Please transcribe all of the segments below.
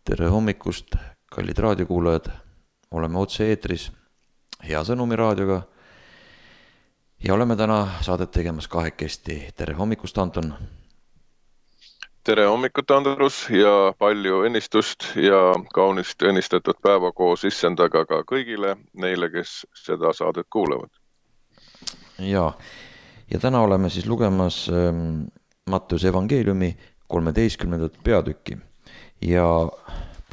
Tere hommikust, kallid raadiokuulajad. Oleme otse eetris Hea Sõnumi raadioga ja oleme täna saadet tegemas kahekesti. Tere hommikust, Anton. Tere hommikut, Andrus, ja palju õnnistust ja kaunist õnnistatud päeva koos issandaga ka kõigile neile, kes seda saadet kuulevad. Ja täna oleme siis lugemas Matteuse evangeeliumi 13. peatükki ja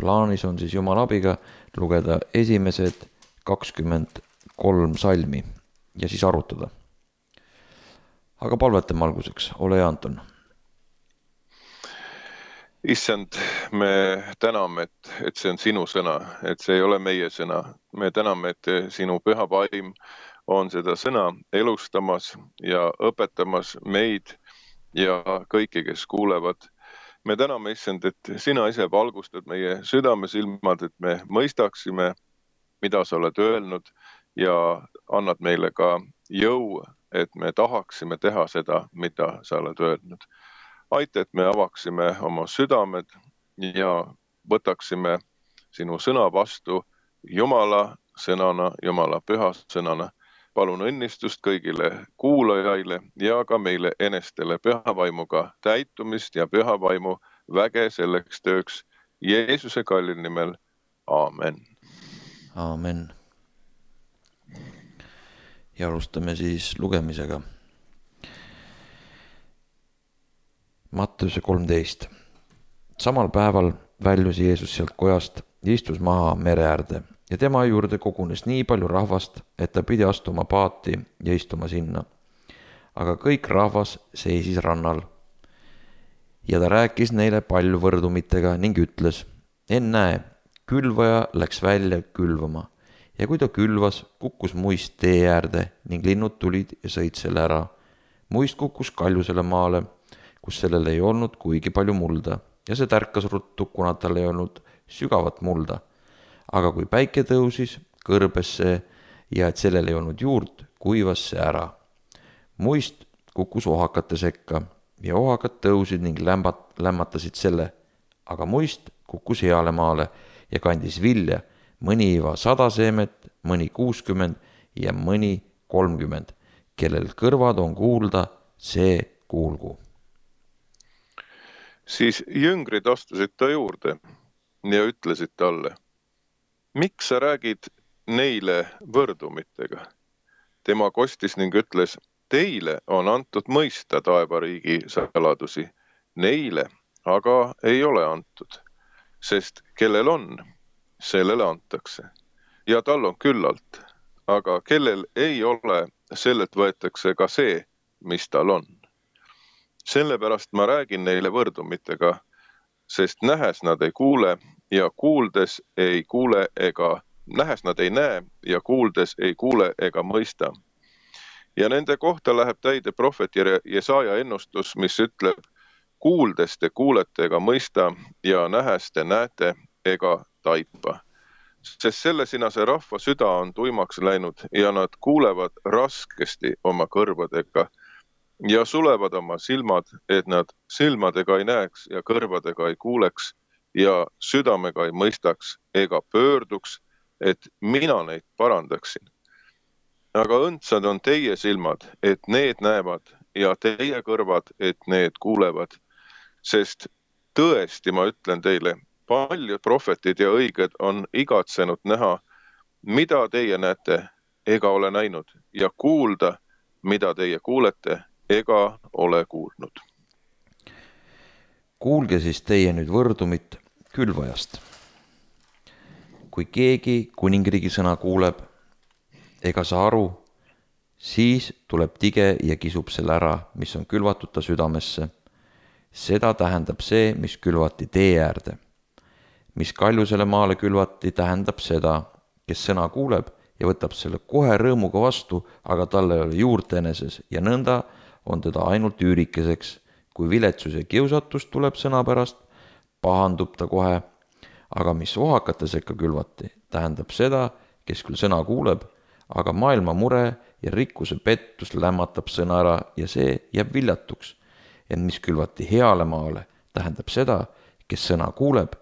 plaanis on siis Jumala abiga lugeda esimesed 23 salmi ja siis arutada. Aga palvetame alguseks, ole hea, Anton. Issand, me täname, et see on sinu sõna, et see ei ole meie sõna. Me täname, et sinu püha vaim on seda sõna elustamas ja õpetamas meid ja kõiki, kes kuulevad. Me täname, Issand, et sina ise valgustad meie südamesilmad, et me mõistaksime, mida sa oled öelnud ja annad meile ka jõu, et me tahaksime teha seda, mida sa oled öelnud. Aita, et me avaksime oma südamed ja võtaksime sinu sõna vastu Jumala sõnana, Jumala püha sõnana. Palun õnnistust kõigile kuulajaile ja ka meile enestele püha vaimuga täitumist ja püha vaimu väge selleks tööks Jeesuse kallil nimel. Aamen. Aamen. Ja alustame siis lugemisega. Matteuse 13. Samal päeval väljus Jeesus sealt kojast ja istus maha mere äärde ja tema juurde kogunes nii palju rahvast, et ta pidi astuma paati ja istuma sinna. Aga kõik rahvas seisis rannal. Ja ta rääkis neile palju võrdumitega ning ütles, ennäe, külvaja läks välja külvama ja kui ta külvas, kukkus muist tee äärde ning linnud tulid ja sõid selle ära. Muist kukkus kaljusele maale, kus sellel ei olnud kuigi palju mulda ja see tärkas ruttu, kuna tal ei olnud sügavat mulda. Aga kui päike tõusis, kõrbes see ja et sellel ei olnud juurt, kuivas see ära. Muist kukkus ohakate sekka ja ohakad tõusid ning lämmatasid selle, aga muist kukkus heale maale ja kandis vilja, mõni iva 100 seemet, mõni 60 ja mõni 30. Kellel kõrvad on kuulda, see kuulgu. Siis jüngrid astusid ta juurde ja ütlesid talle, miks sa räägid neile võrdumitega? Tema kostis ning ütles, teile on antud mõista taevariigi saladusi, neile aga ei ole antud, sest kellel on, sellele antakse ja tal on küllalt, aga kellel ei ole, sellelt võetakse ka see, mis tal on. Sellepärast ma räägin neile võrdumitega, sest nähes nad ei kuule ja kuuldes ei kuule ega, nähes nad ei näe ja kuuldes ei kuule ega mõista. Ja nende kohta läheb täide prohvet Jesaja ennustus, mis ütleb, kuuldes te kuulete ega mõista ja nähes te näete ega taipa. Sest sellesinase rahva süda on tuimaks läinud ja nad kuulevad raskesti oma kõrvadega ja sulevad oma silmad, et nad silmadega ei näeks ja kõrvadega ei kuuleks ja südamega ei mõistaks ega pöörduks, et mina neid parandaksin. Aga õndsad on teie silmad, et need näevad ja teie kõrvad, et need kuulevad. Sest tõesti ma ütlen teile, paljud prohvetid ja õiged on igatsenud näha, mida teie näete ega ole näinud ja kuulda, mida teie kuulete ega ole kuulnud. Kuulge siis teie nüüd võrdumit külvajast. Kui keegi kuningriigi sõna kuuleb ega saa aru, siis tuleb tige ja kisub selle ära, mis on külvatud ta südamesse. Seda tähendab see, mis külvati tee äärde. Mis kaljusele maale külvati, tähendab seda, kes sõna kuuleb ja võtab selle kohe rõõmuga vastu, aga talle ei ole juurt eneses ja nõnda on teda ainult üürikeseks. Kui viletsus ja kiusatus tuleb sõna pärast, pahandub ta kohe. Aga mis ohakate sekka külvati, tähendab seda, kes küll sõna kuuleb, aga maailma mure ja rikkuse pettus lämmatab sõna ära ja see jääb viljatuks. Ja mis külvati heale maale, tähendab seda, kes sõna kuuleb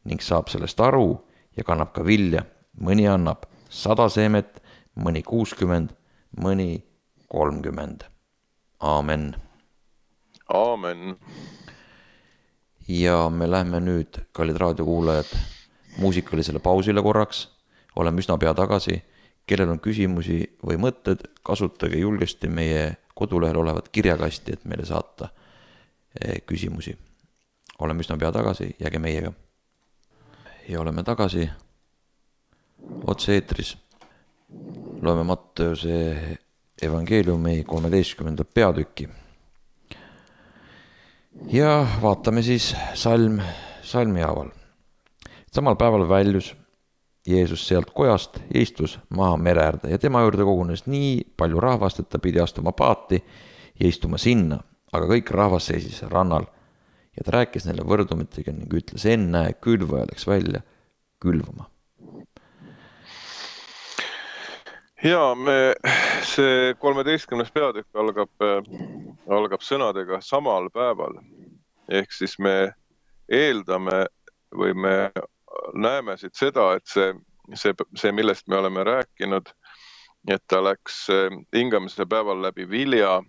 ning saab sellest aru ja kannab ka vilja. Mõni annab 100 seemet, mõni 60, mõni 30. Aamen. Aamen. Ja me lähme nüüd, kallid raadiokuulajad, muusikalisele pausile korraks. Oleme üsna pea tagasi. Kellel on küsimusi või mõtted, kasutage julgesti meie kodulehel olevat kirjakasti, et meile saata küsimusi. Oleme üsna pea tagasi, jääge meiega. Ja oleme tagasi otse eetris. Loeme Matteuse evangeeliumi 13. peatükki. Ja vaatame siis salmi haaval. Samal päeval väljus Jeesus sealt kojast ja istus maha mere äärde ja tema juurde kogunes nii palju rahvast, et ta pidi astuma paati ja istuma sinna, aga kõik rahvas seisis rannal ja ta rääkis neile võrdumitega ning ütles, ennäe, külvaja läks välja külvama. Ja see 13. peatükk algab sõnadega samal päeval. Ehk siis me eeldame või me näeme siit seda, et see, millest me oleme rääkinud, et ta läks hingamise päeval läbi vilja,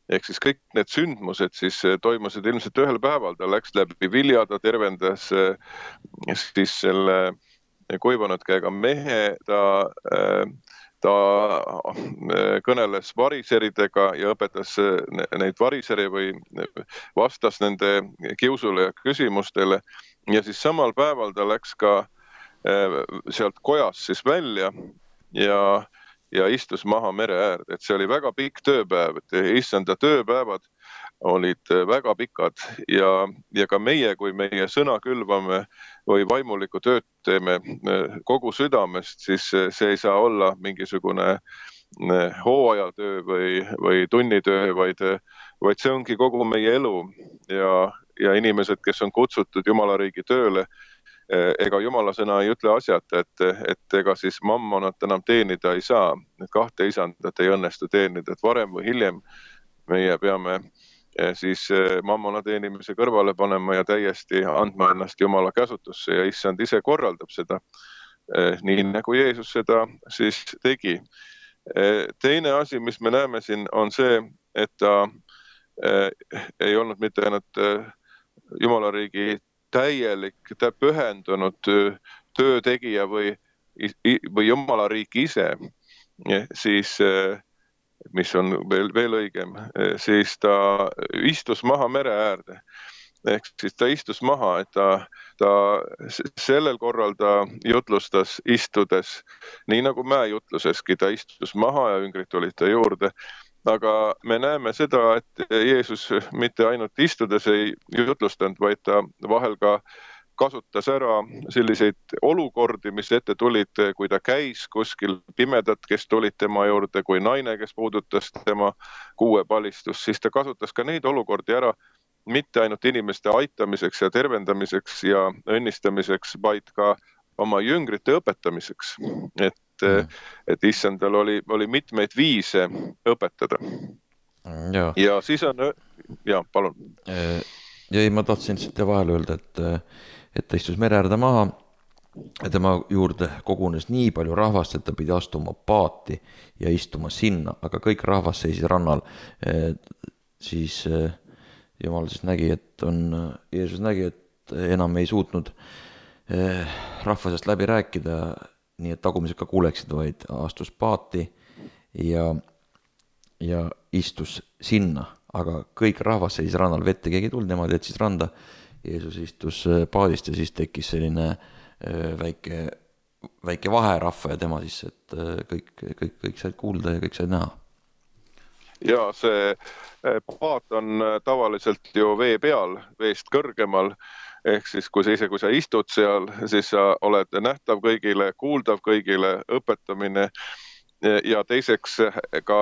ehk siis kõik need sündmused siis toimusid ilmselt ühel päeval, ta läks läbi vilja, ta tervendas siis selle kuivanud käega mehe, ta kõneles variseridega ja õpetas neid variseri või vastas nende kiusule ja küsimustele. Ja siis samal päeval ta läks ka sealt kojast siis välja ja istus maha mere äärde. Et see oli väga pikk tööpäev, et issanda tööpäevad olid väga pikad ja ka meie, kui meie sõna külvame või vaimulikku tööd teeme kogu südamest, siis see ei saa olla mingisugune hooajatöö või tunnitöö, vaid see ongi kogu meie elu ja inimesed, kes on kutsutud Jumala riigi tööle, ega Jumala sõna ei ütle asjata, et ega siis mammonat enam teenida ei saa, et kahte isandat ei õnnestu teenida, et varem või hiljem meie peame siis mammona teenimise kõrvale panema ja täiesti andma ennast Jumala käsutusse ja issand ise korraldab seda, nii nagu Jeesus seda siis tegi. Teine asi, mis me näeme siin, on see, et ta ei olnud mitte ainult Jumala riigi täielik, pühendunud töötegija või Jumala riik ise, siis mis on veel õigem, siis ta istus maha mere äärde. Ehk siis ta istus maha, et ta sellel korral ta jutlustas istudes, nii nagu mäejutluseski, ta istus maha ja üngrid tulid ta juurde. Aga me näeme seda, et Jeesus mitte ainult istudes ei jutlustanud, vaid ta vahel ka kasutas ära selliseid olukordi, mis ette tulid, kui ta käis kuskil pimedad, kes tulid tema juurde, kui naine, kes puudutas tema kuuepalistust, siis ta kasutas ka neid olukordi ära, mitte ainult inimeste aitamiseks ja tervendamiseks ja õnnistamiseks, vaid ka oma jüngrite õpetamiseks. Et issandal oli mitmeid viise õpetada. Ja siis on... Ja, palun. Ja ma tahtsin siit vahel öelda, et ta istus mere äärde maha ja tema juurde kogunes nii palju rahvast, et ta pidi astuma paati ja istuma sinna, aga kõik rahvas seisis rannal. Siis Jumal siis nägi, Jeesus nägi, et enam ei suutnud rahva seast läbi rääkida, nii et tagumised ka kuuleksid, vaid astus paati ja istus sinna, aga kõik rahvas seisis rannal, vette keegi ei tulnud, nemad jätsid randa. Jeesus istus paadist ja siis tekkis selline väike vaherahva ja tema siis, et kõik said kuulda ja kõik said näha. Ja see paat on tavaliselt ju vee peal, veest kõrgemal, ehk siis kui sa istud seal, siis sa oled nähtav kõigile, kuuldav kõigile, õpetamine ja teiseks ka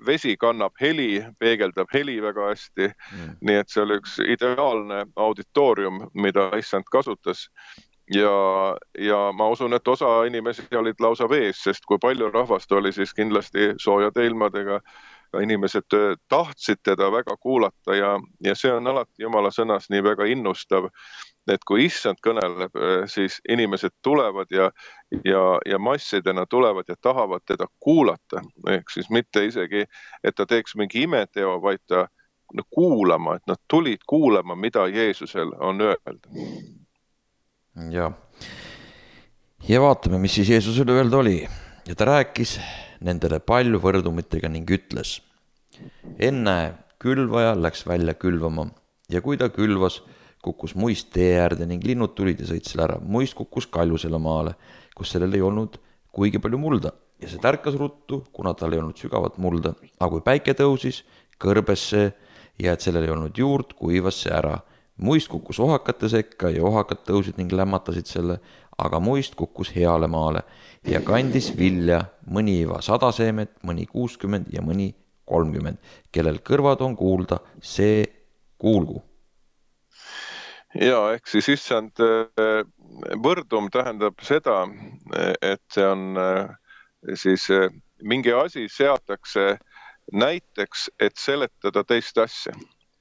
vesi kannab heli, peegeldab heli väga hästi, nii et see oli üks ideaalne auditoorium, mida issand kasutas ja ma usun, et osa inimesi olid lausa vees, sest kui palju rahvast oli, siis kindlasti soojade ilmadega inimesed tahtsid teda väga kuulata ja see on alati Jumala sõnas nii väga innustav, et kui issand kõneleb, siis inimesed tulevad ja massidena tulevad ja tahavad teda kuulata. Ehk siis mitte isegi, et ta teeks mingi imeteo, vaid ta kuulama, et nad tulid kuulama, mida Jeesusel on öelda. Ja vaatame, mis siis Jeesusele öelda oli. Ja ta rääkis nendele palju võrdumitega ning ütles: enne külvaja läks välja külvama ja kui ta külvas, kukkus muist tee äärde ning linnud tulid ja sõid selle ära. Muist kukkus kaljusele maale, kus sellel ei olnud kuigi palju mulda ja see tärkas ruttu, kuna tal ei olnud sügavat mulda. Aga kui päike tõusis, kõrbes see ja et sellel ei olnud juurt, kuivas see ära. Muist kukkus ohakate sekka ja ohakad tõusid ning lämmatasid selle, aga muist kukkus heale maale ja kandis vilja, mõni iva 100 seemet, mõni 60 ja mõni 30. Kellel kõrvad on kuulda, see kuulgu. Ja ehk siis issand võrdum tähendab seda, et see on siis mingi asi seatakse näiteks, et seletada teist asja.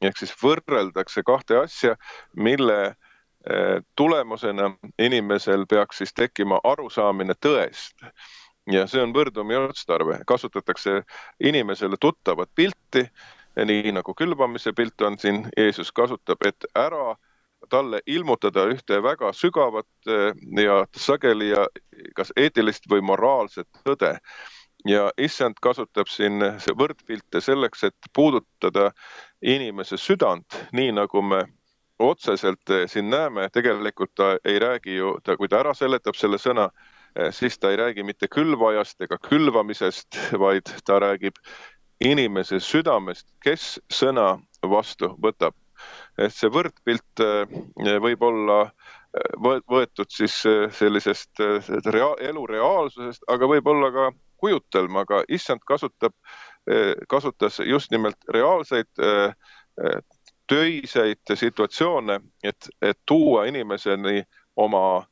Ehk siis võrreldakse kahte asja, mille tulemusena inimesel peaks siis tekkima arusaamine tõest. Ja see on võrdumi otstarve. Kasutatakse inimesele tuttavat pilti, nii nagu külvamise pilt on siin, Jeesus kasutab, et ära talle ilmutada ühte väga sügavat ja sageli ja kas eetilist või moraalset tõde. Ja issand kasutab siin võrdpilte selleks, et puudutada inimese südant, nii nagu me otseselt siin näeme. Tegelikult ta ei räägi ju, kui ta ära seletab selle sõna, siis ta ei räägi mitte külvajast ega külvamisest, vaid ta räägib inimese südamest, kes sõna vastu võtab. Et see võrdpilt võib olla võetud siis sellisest elu reaalsusest, aga võib olla ka kujutelma, aga issand kasutas just nimelt reaalseid töiseid situatsioone, et tuua inimeseni oma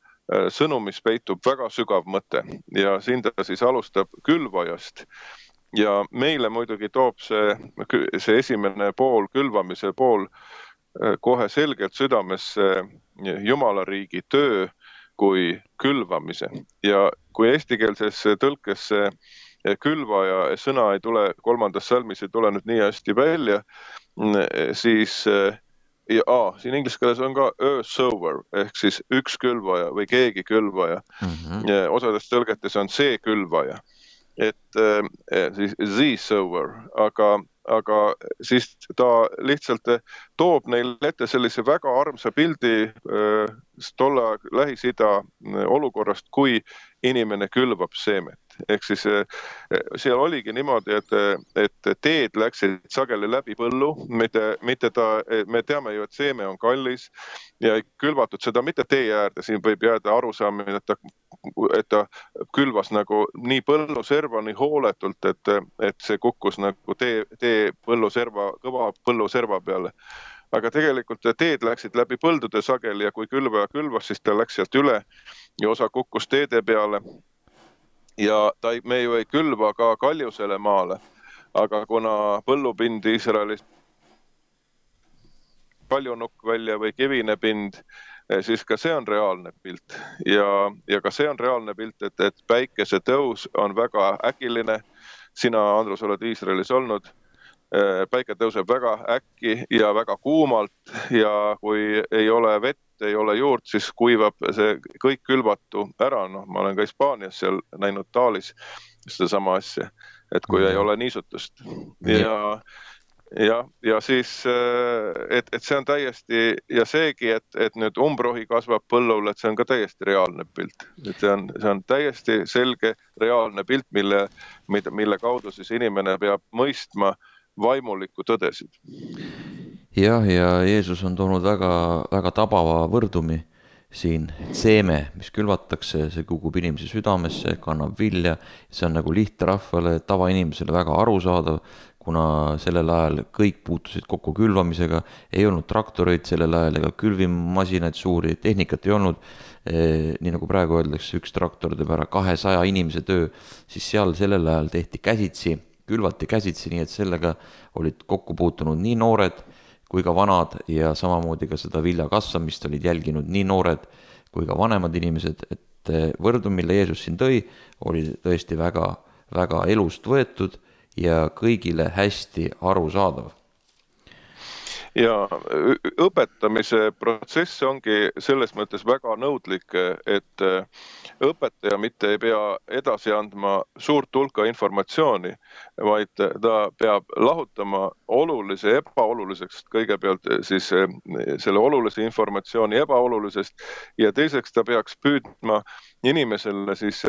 sõnumis peitub väga sügav mõte. Ja siin ta siis alustab külvajast. Ja meile muidugi toob see esimene pool, külvamise pool, kohe selgelt südamesse Jumala riigi töö kui külvamise. Ja kui eestikeelses tõlkes külvaja sõna ei tule, 3. salmis ei tule nüüd nii hästi välja, siis siin inglise keeles on ka a sower ehk siis üks külvaja või keegi külvaja. Osades tõlgetes on see külvaja. Et siis the sower, aga siis ta lihtsalt toob neil ette sellise väga armsa pildi tolle Lähis-Ida olukorrast, kui inimene külvab seemet. Ehk siis seal oligi niimoodi, et teed läksid sageli läbi põllu, me teame ju, et seeme on kallis ja ei külvatud seda mitte tee äärde, siin võib jääda arusaamine, et ta külvas nagu nii põlluserva nii hooletult, et see kukkus nagu tee põlluserva, kõva põlluserva peale. Aga tegelikult teed läksid läbi põldude sageli ja kui külvaja külvas, siis ta läks sealt üle ja osa kukkus teede peale. Ja me ju ei külva ka kaljusele maale, aga kuna põllupind Iisraelis kaljunukk välja või kivine pind, siis ka see on reaalne pilt. Ja ka see on reaalne pilt, et päikese tõus on väga äkiline. Sina, Andrus, oled Iisraelis olnud. Päike tõuseb väga äkki ja väga kuumalt ja kui ei ole vett, ei ole juurt, siis kuivab see kõik külvatu ära. Ma olen ka Hispaanias seal näinud Taalis seda sama asja, et kui ei ole niisutust. Ja siis, et see on täiesti, ja seegi, et nüüd umbrohi kasvab põllul, et see on ka täiesti reaalne pilt. Et see on täiesti selge reaalne pilt, mille kaudu siis inimene peab mõistma vaimulikku tõdesid. Ja Jeesus on toonud väga, väga tabava võrdumi siin, et seeme, mis külvatakse, see kukub inimese südamesse, kannab vilja, see on nagu lihtrahvale, tavainimesele väga arusaadav, kuna sellel ajal kõik puutusid kokku külvamisega, ei olnud traktoreid sellel ajal ega külvimasinaid suuri, tehnikat ei olnud, nii nagu praegu öeldakse, üks traktor teeb ära 200 inimese töö, siis seal sellel ajal tehti käsitsi, külvati käsitsi, nii et sellega olid kokku puutunud nii noored kui ka vanad ja samamoodi ka seda vilja kasvamist olid jälginud nii noored kui ka vanemad inimesed, et võrdum, mille Jeesus siin tõi, oli tõesti väga, väga elust võetud ja kõigile hästi arusaadav. Ja õpetamise protsess ongi selles mõttes väga nõudlik, et õpetaja mitte ei pea edasi andma suurt hulka informatsiooni, vaid ta peab lahutama olulise ebaoluliseks, kõigepealt siis selle olulise informatsiooni ebaolulisest ja teiseks ta peaks püüdma inimesele siis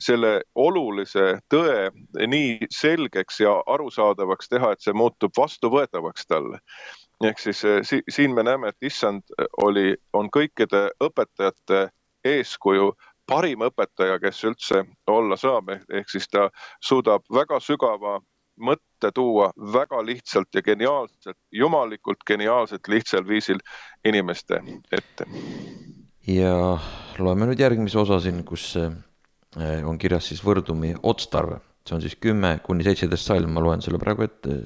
selle olulise tõe nii selgeks ja arusaadavaks teha, et see muutub vastuvõetavaks talle. Ehk siis siin me näeme, et issand on kõikide õpetajate eeskuju parim õpetaja, kes üldse olla saab. Ehk siis ta suudab väga sügava mõtte tuua väga lihtsalt ja geniaalselt, jumalikult geniaalselt lihtsal viisil inimeste ette. Ja loeme nüüd järgmise osa siin, kus on kirjas siis võrdumi otstarve. See on siis 10-17 salm, ma loen selle praegu ette.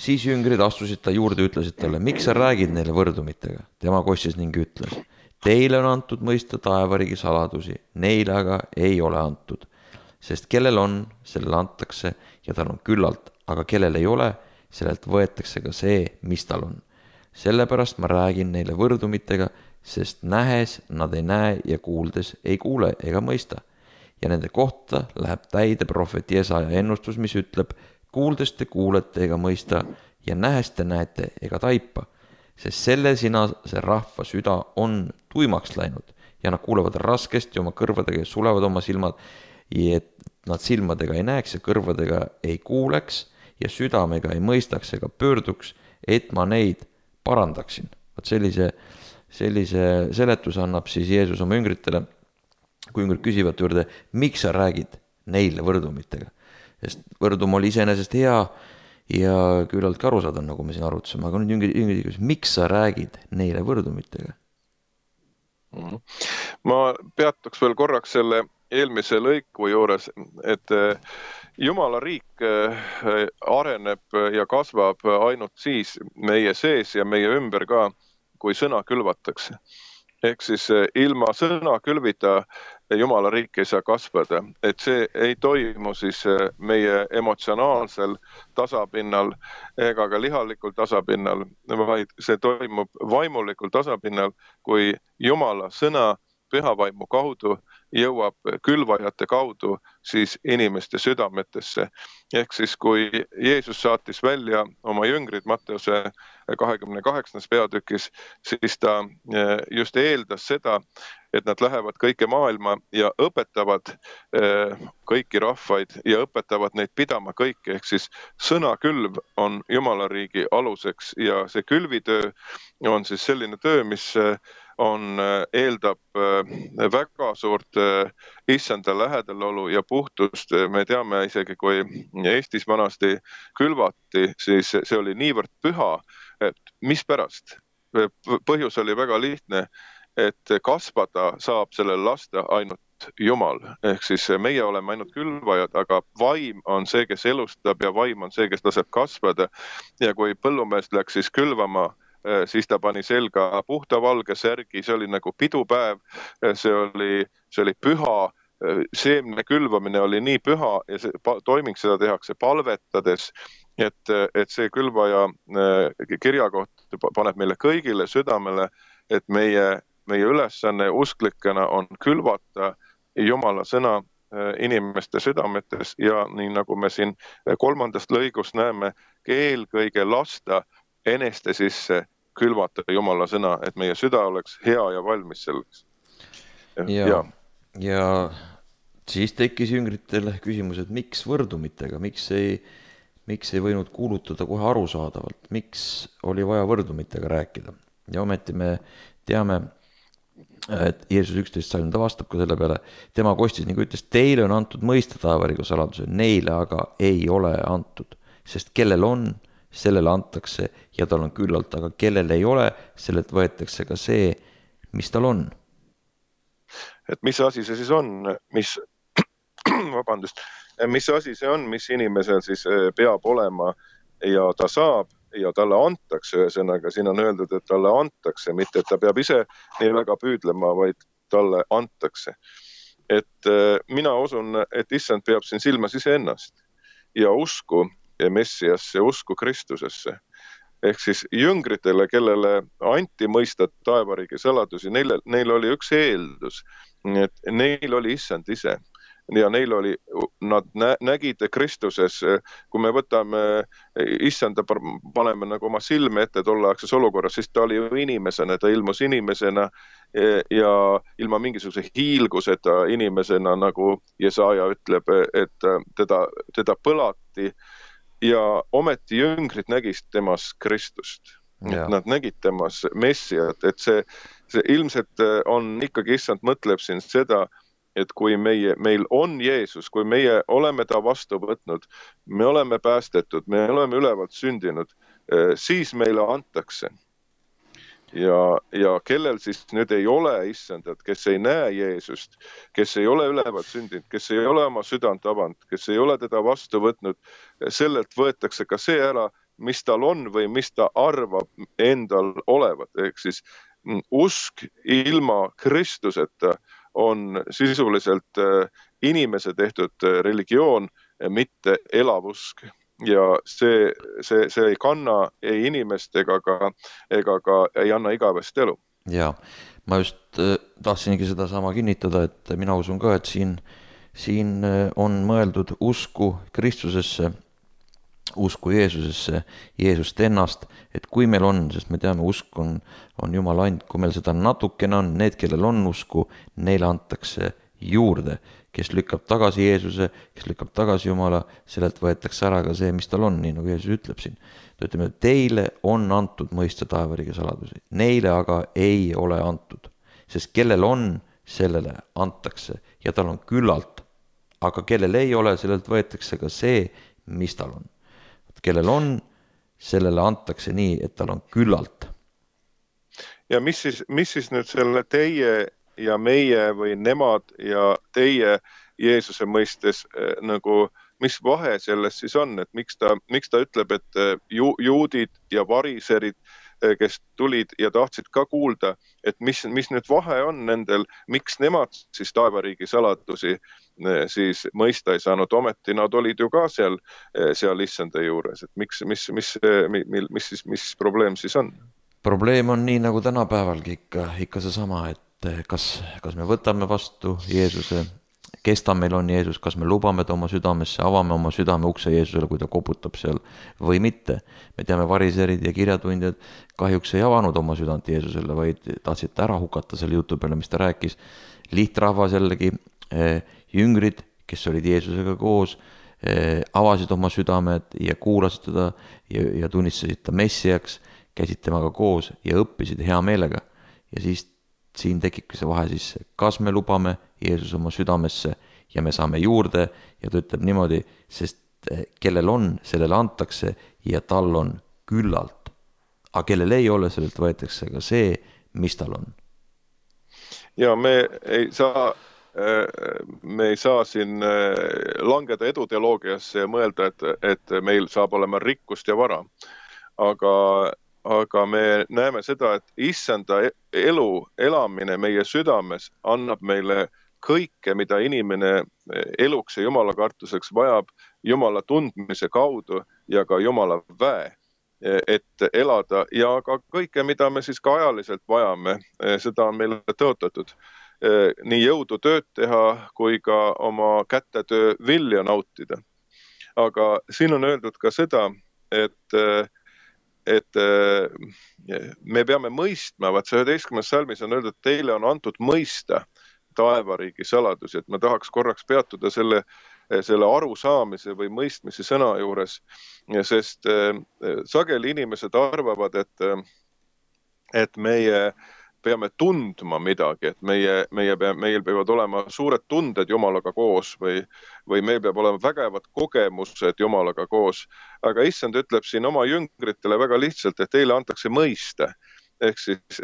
Siis jüngrid astusid ta juurde, ütlesid talle, miks sa räägid neile võrdumitega? Tema kostis ning ütles, teile on antud mõista taevariigi saladusi, neile aga ei ole antud. Sest kellel on, sellele antakse ja tal on küllalt, aga kellel ei ole, sellelt võetakse ka see, mis tal on. Sellepärast ma räägin neile võrdumitega, sest nähes nad ei näe ja kuuldes ei kuule ega mõista. Ja nende kohta läheb täide prohvet Jesaja ennustus, mis ütleb, kuuldes te kuulete ega mõista ja nähes te näete ega taipa, sest selle sinase rahva süda on tuimaks läinud ja nad kuulevad raskesti oma kõrvadega ja sulevad oma silmad, et nad silmadega ei näeks ja kõrvadega ei kuuleks ja südamega ei mõistaks ega pöörduks, et ma neid parandaksin. Vaat sellise seletuse annab siis Jeesus oma jüngritele, kui jüngrid küsivad juurde, miks sa räägid neile võrdumitega? Sest võrdum oli iseenesest hea ja küllalt arusaadav, nagu me siin arutasime, aga nüüd jüngrid küsivad, miks sa räägid neile võrdumitega? Ma peatuks veel korraks selle eelmise lõiku juures, et Jumala riik areneb ja kasvab ainult siis meie sees ja meie ümber ka, kui sõna külvatakse. Ehk siis ilma sõna külvita Jumala riik ei saa kasvada, et see ei toimu siis meie emotsionaalsel tasapinnal ega ka lihalikul tasapinnal, vaid see toimub vaimulikul tasapinnal, kui Jumala sõna pühavaimu kaudu jõuab külvajate kaudu siis inimeste südametesse. Ehk siis kui Jeesus saatis välja oma jüngrid Matteuse 28. peatükis, siis ta just eeldas seda, et nad lähevad kõike maailma ja õpetavad kõiki rahvaid ja õpetavad neid pidama kõike. Ehk siis sõnakülv on Jumala riigi aluseks ja see külvitöö on siis selline töö, mis eeldab väga suurt issanda lähedalolu ja puhtust. Me teame isegi, kui Eestis vanasti külvati, siis see oli niivõrd püha, et mispärast? Põhjus oli väga lihtne, et kasvada saab sellel lasta ainult Jumal. Ehk siis meie oleme ainult külvajad, aga vaim on see, kes elustab ja vaim on see, kes laseb kasvada. Ja kui põllumees läks siis külvama, siis ta pani selga puhta valge särgi, see oli nagu pidupäev, see oli püha, seemne külvamine oli nii püha ja see toiming seda tehakse palvetades, et see külvaja kirjakoht paneb meile kõigile südamele, et meie ülesanne usklikena on külvata Jumala sõna inimeste südametes ja nii nagu me siin 3. lõigust näeme, eelkõige lasta eneste sisse külvata Jumala sõna, et meie süda oleks hea ja valmis selleks. Ja siis tekkis jüngritel küsimus, et miks võrdumitega, miks ei võinud kuulutada kohe arusaadavalt, miks oli vaja võrdumitega rääkida. Ja ometi me teame, et Jeesus 11 salm, ta vastab ka selle peale, tema kostis ning ütles, teile on antud mõista taevariigi saladuse, neile aga ei ole antud, sest kellel on, sellele antakse ja tal on küllalt, aga kellel ei ole, sellelt võetakse ka see, mis tal on. Et mis asi see siis on, mis asi see on, mis inimesel siis peab olema ja ta saab ja talle antakse, ühesõnaga siin on öeldud, et talle antakse, mitte et ta peab ise nii väga püüdlema, vaid talle antakse. Et mina usun, et issand peab siin silmas iseennast ja usku Messiasse, usku Kristusesse. Ehk siis jüngritele, kellele anti mõista taevariigi saladusi, neil oli üks eeldus, et neil oli issand ise. Ja neil oli, nad nägid Kristuses, kui me võtame issanda, paneme nagu oma silme ette tolleaegses olukorras, siis ta oli ju inimesena, ta ilmus inimesena ja ilma mingisuguse hiilguseta inimesena, nagu Jesaja ütleb, et teda põlati ja ometi jüngrid nägid temas Kristust. Nad nägid temas Messiat, et see ilmselt on ikkagi, issand mõtleb siin seda, et kui meil on Jeesus, kui meie oleme ta vastu võtnud, me oleme päästetud, me oleme ülevalt sündinud, siis meile antakse. Ja kellel siis nüüd ei ole issandat, kes ei näe Jeesust, kes ei ole ülevalt sündinud, kes ei ole oma südant avanud, kes ei ole teda vastu võtnud, sellelt võetakse ka see ära, mis tal on või mis ta arvab endal olevat. Ehk siis usk ilma Kristuseta on sisuliselt inimese tehtud religioon, mitte elav usk. Ja see ei kanna ei inimest ega ka ei anna igavest elu. Ja, ma just tahtsingi seda sama kinnitada, et mina usun ka, et siin on mõeldud usku Kristusesse, usku Jeesusesse, Jeesust ennast, et kui meil on, sest me teame, usk on Jumala and, kui meil seda natukene on, need, kellel on usku, neile antakse juurde, kes lükkab tagasi Jeesuse, kes lükkab tagasi Jumala, sellelt võetakse ära ka see, mis tal on, nii nagu Jeesus ütleb siin. Ta ütleb, et teile on antud mõista taevariigi saladusi, neile aga ei ole antud, sest kellel on, sellele antakse ja tal on küllalt, aga kellel ei ole, sellelt võetakse ka see, mis tal on. Kellel on, sellele antakse nii, et tal on küllalt. Ja mis siis nüüd selle teie ja meie või nemad ja teie Jeesuse mõistes nagu, mis vahe selles siis on, et miks ta ütleb, et juudid ja variserid, kes tulid ja tahtsid ka kuulda, et mis nüüd vahe on nendel, miks nemad siis taevariigi saladusi siis mõista ei saanud, ometi nad olid ju ka seal issanda juures, et mis probleem siis on? Probleem on nii nagu tänapäevalgi ikka seesama, et kas me võtame vastu Jeesuse, kes ta meil on Jeesus, kas me lubame ta oma südamesse, avame oma südame ukse Jeesusele, kui ta koputab seal või mitte. Me teame, variserid ja kirjatundjad kahjuks ei avanud oma südant Jeesusele, vaid tahtsid ta ära hukata selle jutu peale, mis ta rääkis. Lihtrahvas jällegi, jüngrid, kes olid Jeesusega koos, avasid oma südamed ja kuulasid teda ja tunnistasid ta messiaks, käisid temaga koos ja õppisid hea meelega. Ja siis siin tekibki see vahe sisse, kas me lubame Jeesus oma südamesse ja me saame juurde ja ta ütleb niimoodi, sest kellel on, sellele antakse ja tal on küllalt. Aga kellel ei ole, sellelt võetakse ka see, mis tal on. Ja me ei saa siin langeda eduteoloogiasse ja mõelda, et meil saab olema rikkust ja vara. Aga me näeme seda, et issanda elu elamine meie südames annab meile kõike, mida inimene eluks ja Jumala kartuseks vajab Jumala tundmise kaudu ja ka Jumala väe, et elada ja ka kõike, mida me siis ka ajaliselt vajame, seda on meile tõotatud. Nii jõudu tööd teha kui ka oma kätetöö vilja nautida. Aga siin on öeldud ka seda, et me peame mõistma, vaat see 11. salmis on öeldud, et teile on antud mõista taevariigi saladusi, et ma tahaks korraks peatuda selle arusaamise või mõistmise sõna juures, sest sageli inimesed arvavad, et meie peame tundma midagi, et meil peavad olema suured tunded Jumalaga koos või meil peab olema vägevad kogemused Jumalaga koos. Aga issand ütleb siin oma jüngritele väga lihtsalt, et teile antakse mõista. ehk siis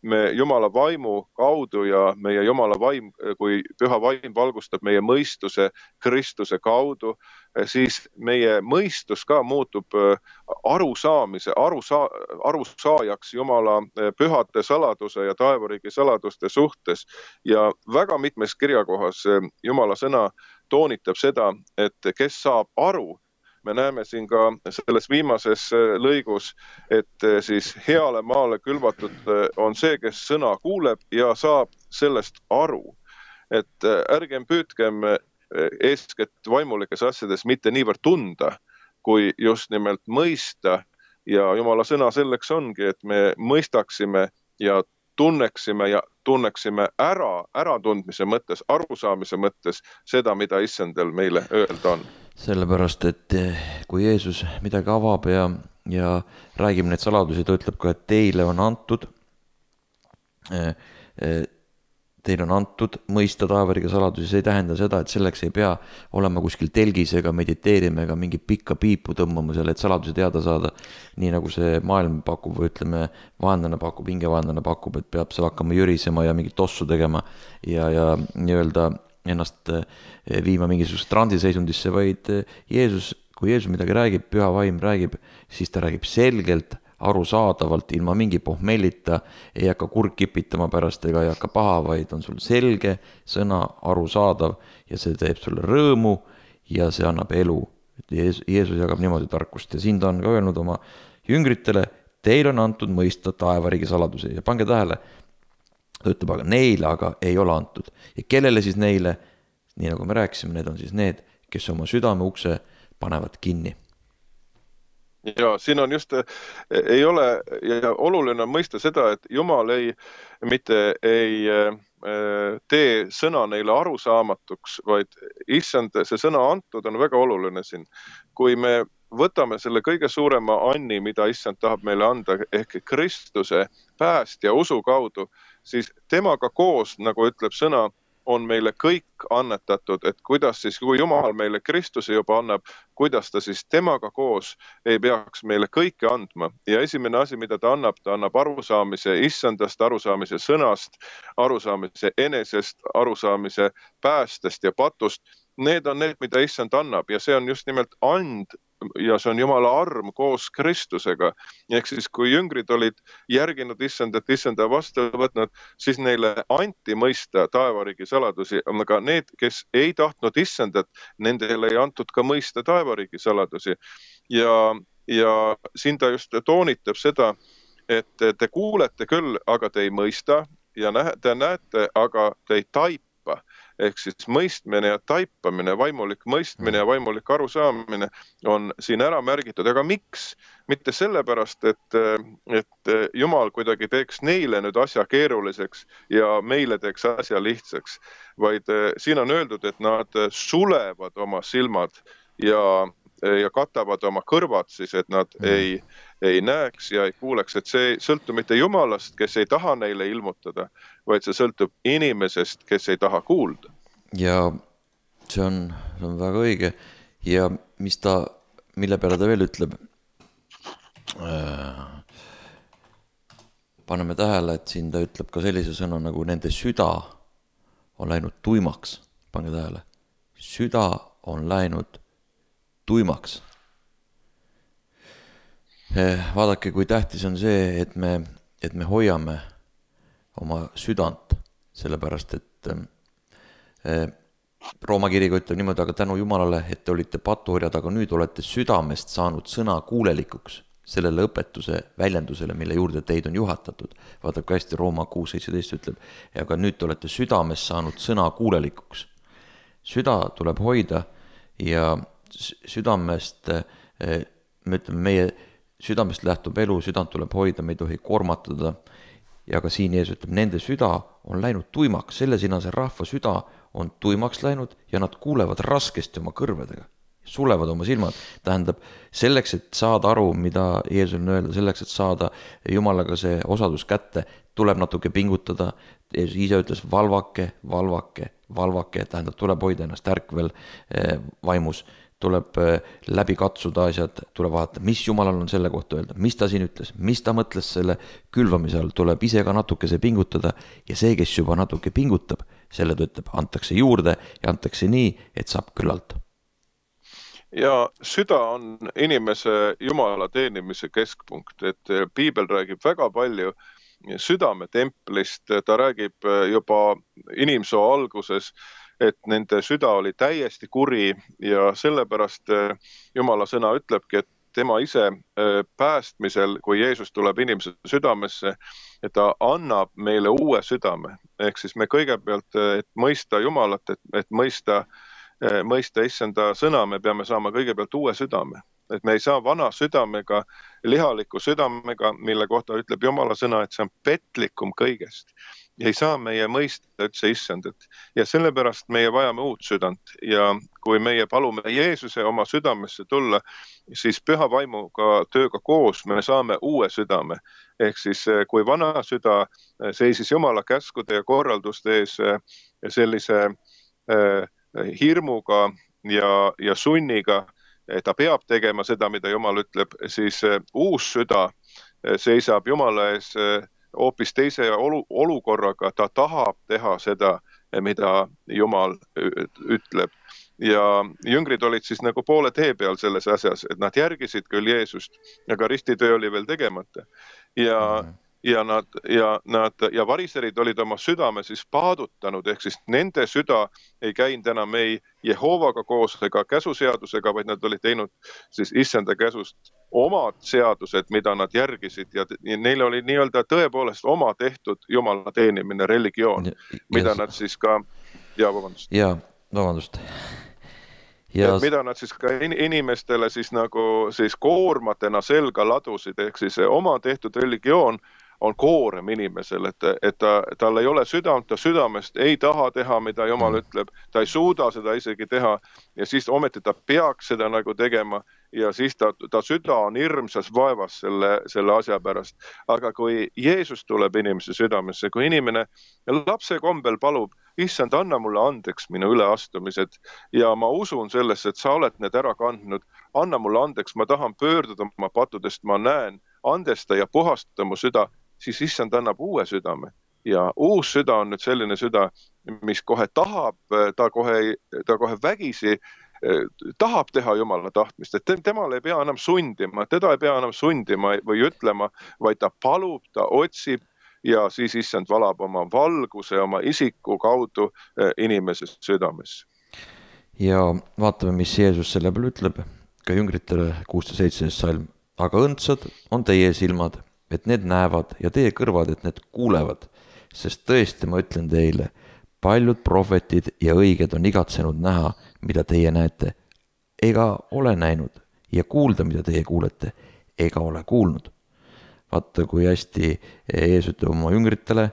me Jumala vaimu kaudu ja meie Jumala vaim, kui püha vaim valgustab meie mõistuse Kristuse kaudu, siis meie mõistus ka muutub arusaajaks Jumala pühade saladuse ja taevariigi saladuste suhtes. Ja väga mitmes kirjakohas Jumala sõna toonitab seda, et kes saab aru. Me näeme siin ka selles viimases lõigus, et siis heale maale külvatud on see, kes sõna kuuleb ja saab sellest aru. Et ärgem püüdkem eeskätt vaimulikes asjades mitte niivõrd tunda, kui just nimelt mõista. Ja Jumala sõna selleks ongi, et me mõistaksime ja tunneksime äratundmise mõttes, arusaamise mõttes seda, mida Issandal meile öelda on. Sellepärast, et kui Jeesus midagi avab ja räägib neid saladusi, ta ütleb ka, et teile on antud mõista taevariigi saladusi. See ei tähenda seda, et selleks ei pea olema kuskil telgis ega mediteerima ega mingi pikka piipu tõmbama selle, et saladusi teada saada. Nii nagu see maailm pakub või ütleme, hingevaenlane pakub, et peab seal hakkama jürisema ja mingit tossu tegema ja nii-öelda ennast viima mingisugust transiseisundisse, vaid kui Jeesus midagi räägib, püha vaim räägib, siis ta räägib selgelt, arusaadavalt, ilma mingi pohmellita, ei hakka kurg kipitama pärast ega ei hakka paha, vaid on sul selge sõna, arusaadav ja see teeb sulle rõõmu ja see annab elu. Jeesus jagab niimoodi tarkust ja siin ta on ka öelnud oma jüngritele, teil on antud mõista taevariigi saladusi ja pange tähele, ta ütleb, aga neile aga ei ole antud. Ja kellele siis neile, nii nagu me rääkisime, need on siis need, kes oma südame ukse panevad kinni. Ja siin on just, ei ole, ja oluline on mõista seda, et Jumal mitte ei tee sõna neile arusaamatuks, vaid Issand, see sõna antud on väga oluline siin. Kui me võtame selle kõige suurema anni, mida Issand tahab meile anda, ehk Kristuse pääst ja usu kaudu, siis temaga koos, nagu ütleb sõna, on meile kõik annetatud, et kuidas siis, kui Jumal meile Kristuse juba annab, kuidas ta siis temaga koos ei peaks meile kõike andma. Ja esimene asi, mida ta annab arusaamise Issandast, arusaamise sõnast, arusaamise enesest, arusaamise päästest ja patust. Need on need, mida Issand annab ja see on just nimelt and ja see on Jumala arm koos Kristusega. Ehk siis, kui jüngrid olid järginud Issandat, Issanda vastu võtnud, siis neile anti mõista taevariigi saladusi, aga need, kes ei tahtnud Issandat, nendele ei antud ka mõista taevariigi saladusi. Ja siin ta just toonitab seda, et te kuulete küll, aga te ei mõista ja te näete, aga te ei taipa. Ehk siis mõistmine ja taipamine, vaimulik mõistmine ja vaimulik arusaamine on siin ära märgitud. Aga miks? Mitte sellepärast, et Jumal kuidagi teeks neile nüüd asja keeruliseks ja meile teeks asja lihtsaks, vaid siin on öeldud, et nad sulevad oma silmad ja katavad oma kõrvad siis, et nad ei näeks ja ei kuuleks, et see ei sõltu mitte Jumalast, kes ei taha neile ilmutada, vaid see sõltub inimesest, kes ei taha kuulda. Ja see on väga õige ja mille peale ta veel ütleb, paneme tähele, et siin ta ütleb ka sellise sõna nagu nende süda on läinud tuimaks, pange tähele, süda on läinud tuimaks. Vaadake, kui tähtis on see, et me hoiame oma südant, sellepärast, et Rooma kiriga ütleb niimoodi, aga tänu Jumalale, et te olite patuorjad, aga nüüd olete südamest saanud sõna kuulelikuks sellele õpetuse väljendusele, mille juurde teid on juhatatud. Vaadake kui hästi Rooma 6.17 ütleb, aga nüüd te olete südamest saanud sõna kuulelikuks. Süda tuleb hoida ja südamest, me ütleme, meie südamest lähtub elu, südant tuleb hoida, me ei tohi kormatada. Ja ka siin Jeesus ütleb, nende süda on läinud tuimaks, selle sinase rahva süda on tuimaks läinud ja nad kuulevad raskesti oma kõrvedega, sulevad oma silmad. Tähendab, selleks, et saada aru, mida Jeesus on öelda, selleks, et saada Jumalaga see osadus kätte, tuleb natuke pingutada. Jeesus ise ütles valvake, tähendab, tuleb hoida ennast ärkvel vaimus, tuleb läbi katsuda asjad, tuleb vaadata, mis Jumalal on selle kohta öelda, mis ta siin ütles, mis ta mõtles selle külvamise all, tuleb ise ka natukese pingutada ja see, kes juba natuke pingutab, selle ta ütleb, antakse juurde ja antakse nii, et saab küllalt. Ja süda on inimese Jumala teenimise keskpunkt, et piibel räägib väga palju südametemplist, ta räägib juba inimsoo alguses, et nende süda oli täiesti kuri ja sellepärast Jumala sõna ütlebki, et tema ise päästmisel, kui Jeesus tuleb inimese südamesse, et ta annab meile uue südame. Ehk siis me kõigepealt, et mõista Jumalat, et mõista issanda sõna, me peame saama kõigepealt uue südame. Et me ei saa vana südamega, lihaliku südamega, mille kohta ütleb Jumala sõna, et see on petlikum kõigest. Ja ei saa meie mõista üldse issandat. Ja sellepärast meie vajame uut südant. Ja kui meie palume Jeesuse oma südamesse tulla, siis püha vaimuga tööga koos me saame uue südame. Ehk siis kui vana süda seisis Jumala käskude ja korralduste ees sellise hirmuga ja sunniga, ta peab tegema seda, mida Jumal ütleb, siis uus süda seisab Jumala ees hoopis teise olukorraga, ta tahab teha seda, mida Jumal ütleb. Ja jüngrid olid siis nagu poole tee peal selles asjas, et nad järgisid küll Jeesust, aga ristitöö oli veel tegemata. Ja variserid olid oma südame siis paadutanud, ehk siis nende süda ei käinud enam ei Jehovaga koos ega käsuseadusega, vaid nad olid teinud siis issanda käsust omad seadused, mida nad järgisid ja neil oli nii-öelda tõepoolest oma tehtud Jumala teenimine, religioon, mida nad siis ka, vabandust. Mida nad siis ka inimestele siis nagu siis koormatena selga ladusid, ehk siis oma tehtud religioon on koorem inimesel, et tal ei ole südant, ta südamest ei taha teha, mida Jumal ütleb, ta ei suuda seda isegi teha ja siis ometi ta peaks seda nagu tegema ja siis ta süda on hirmsas vaevas selle asja pärast. Aga kui Jeesus tuleb inimese südamesse, kui inimene lapse kombel palub, issand, anna mulle andeks minu üleastumised ja ma usun sellesse, et sa oled need ära kandnud, anna mulle andeks, ma tahan pöörduda oma patudest, ma näen, andesta ja puhasta mu süda, siis issand annab uue südame. Ja uus süda on nüüd selline süda, mis kohe tahab, ta kohe vägisi tahab teha Jumala tahtmist, et temal ei pea enam sundima, teda ei pea enam sundima või ütlema, vaid ta palub, ta otsib ja siis issand valab oma valguse, oma isiku kaudu inimese südames. Ja vaatame, mis Jeesus selle peale ütleb, ka jüngritele 16. salm. Aga õndsad on teie silmad, et need näevad ja teie kõrvad, et need kuulevad, sest tõesti ma ütlen teile, paljud prohvetid ja õiged on igatsenud näha, mida teie näete, ega ole näinud ja kuulda, mida teie kuulete, ega ole kuulnud. Vaata, kui hästi Jeesus ütleb oma jüngritele,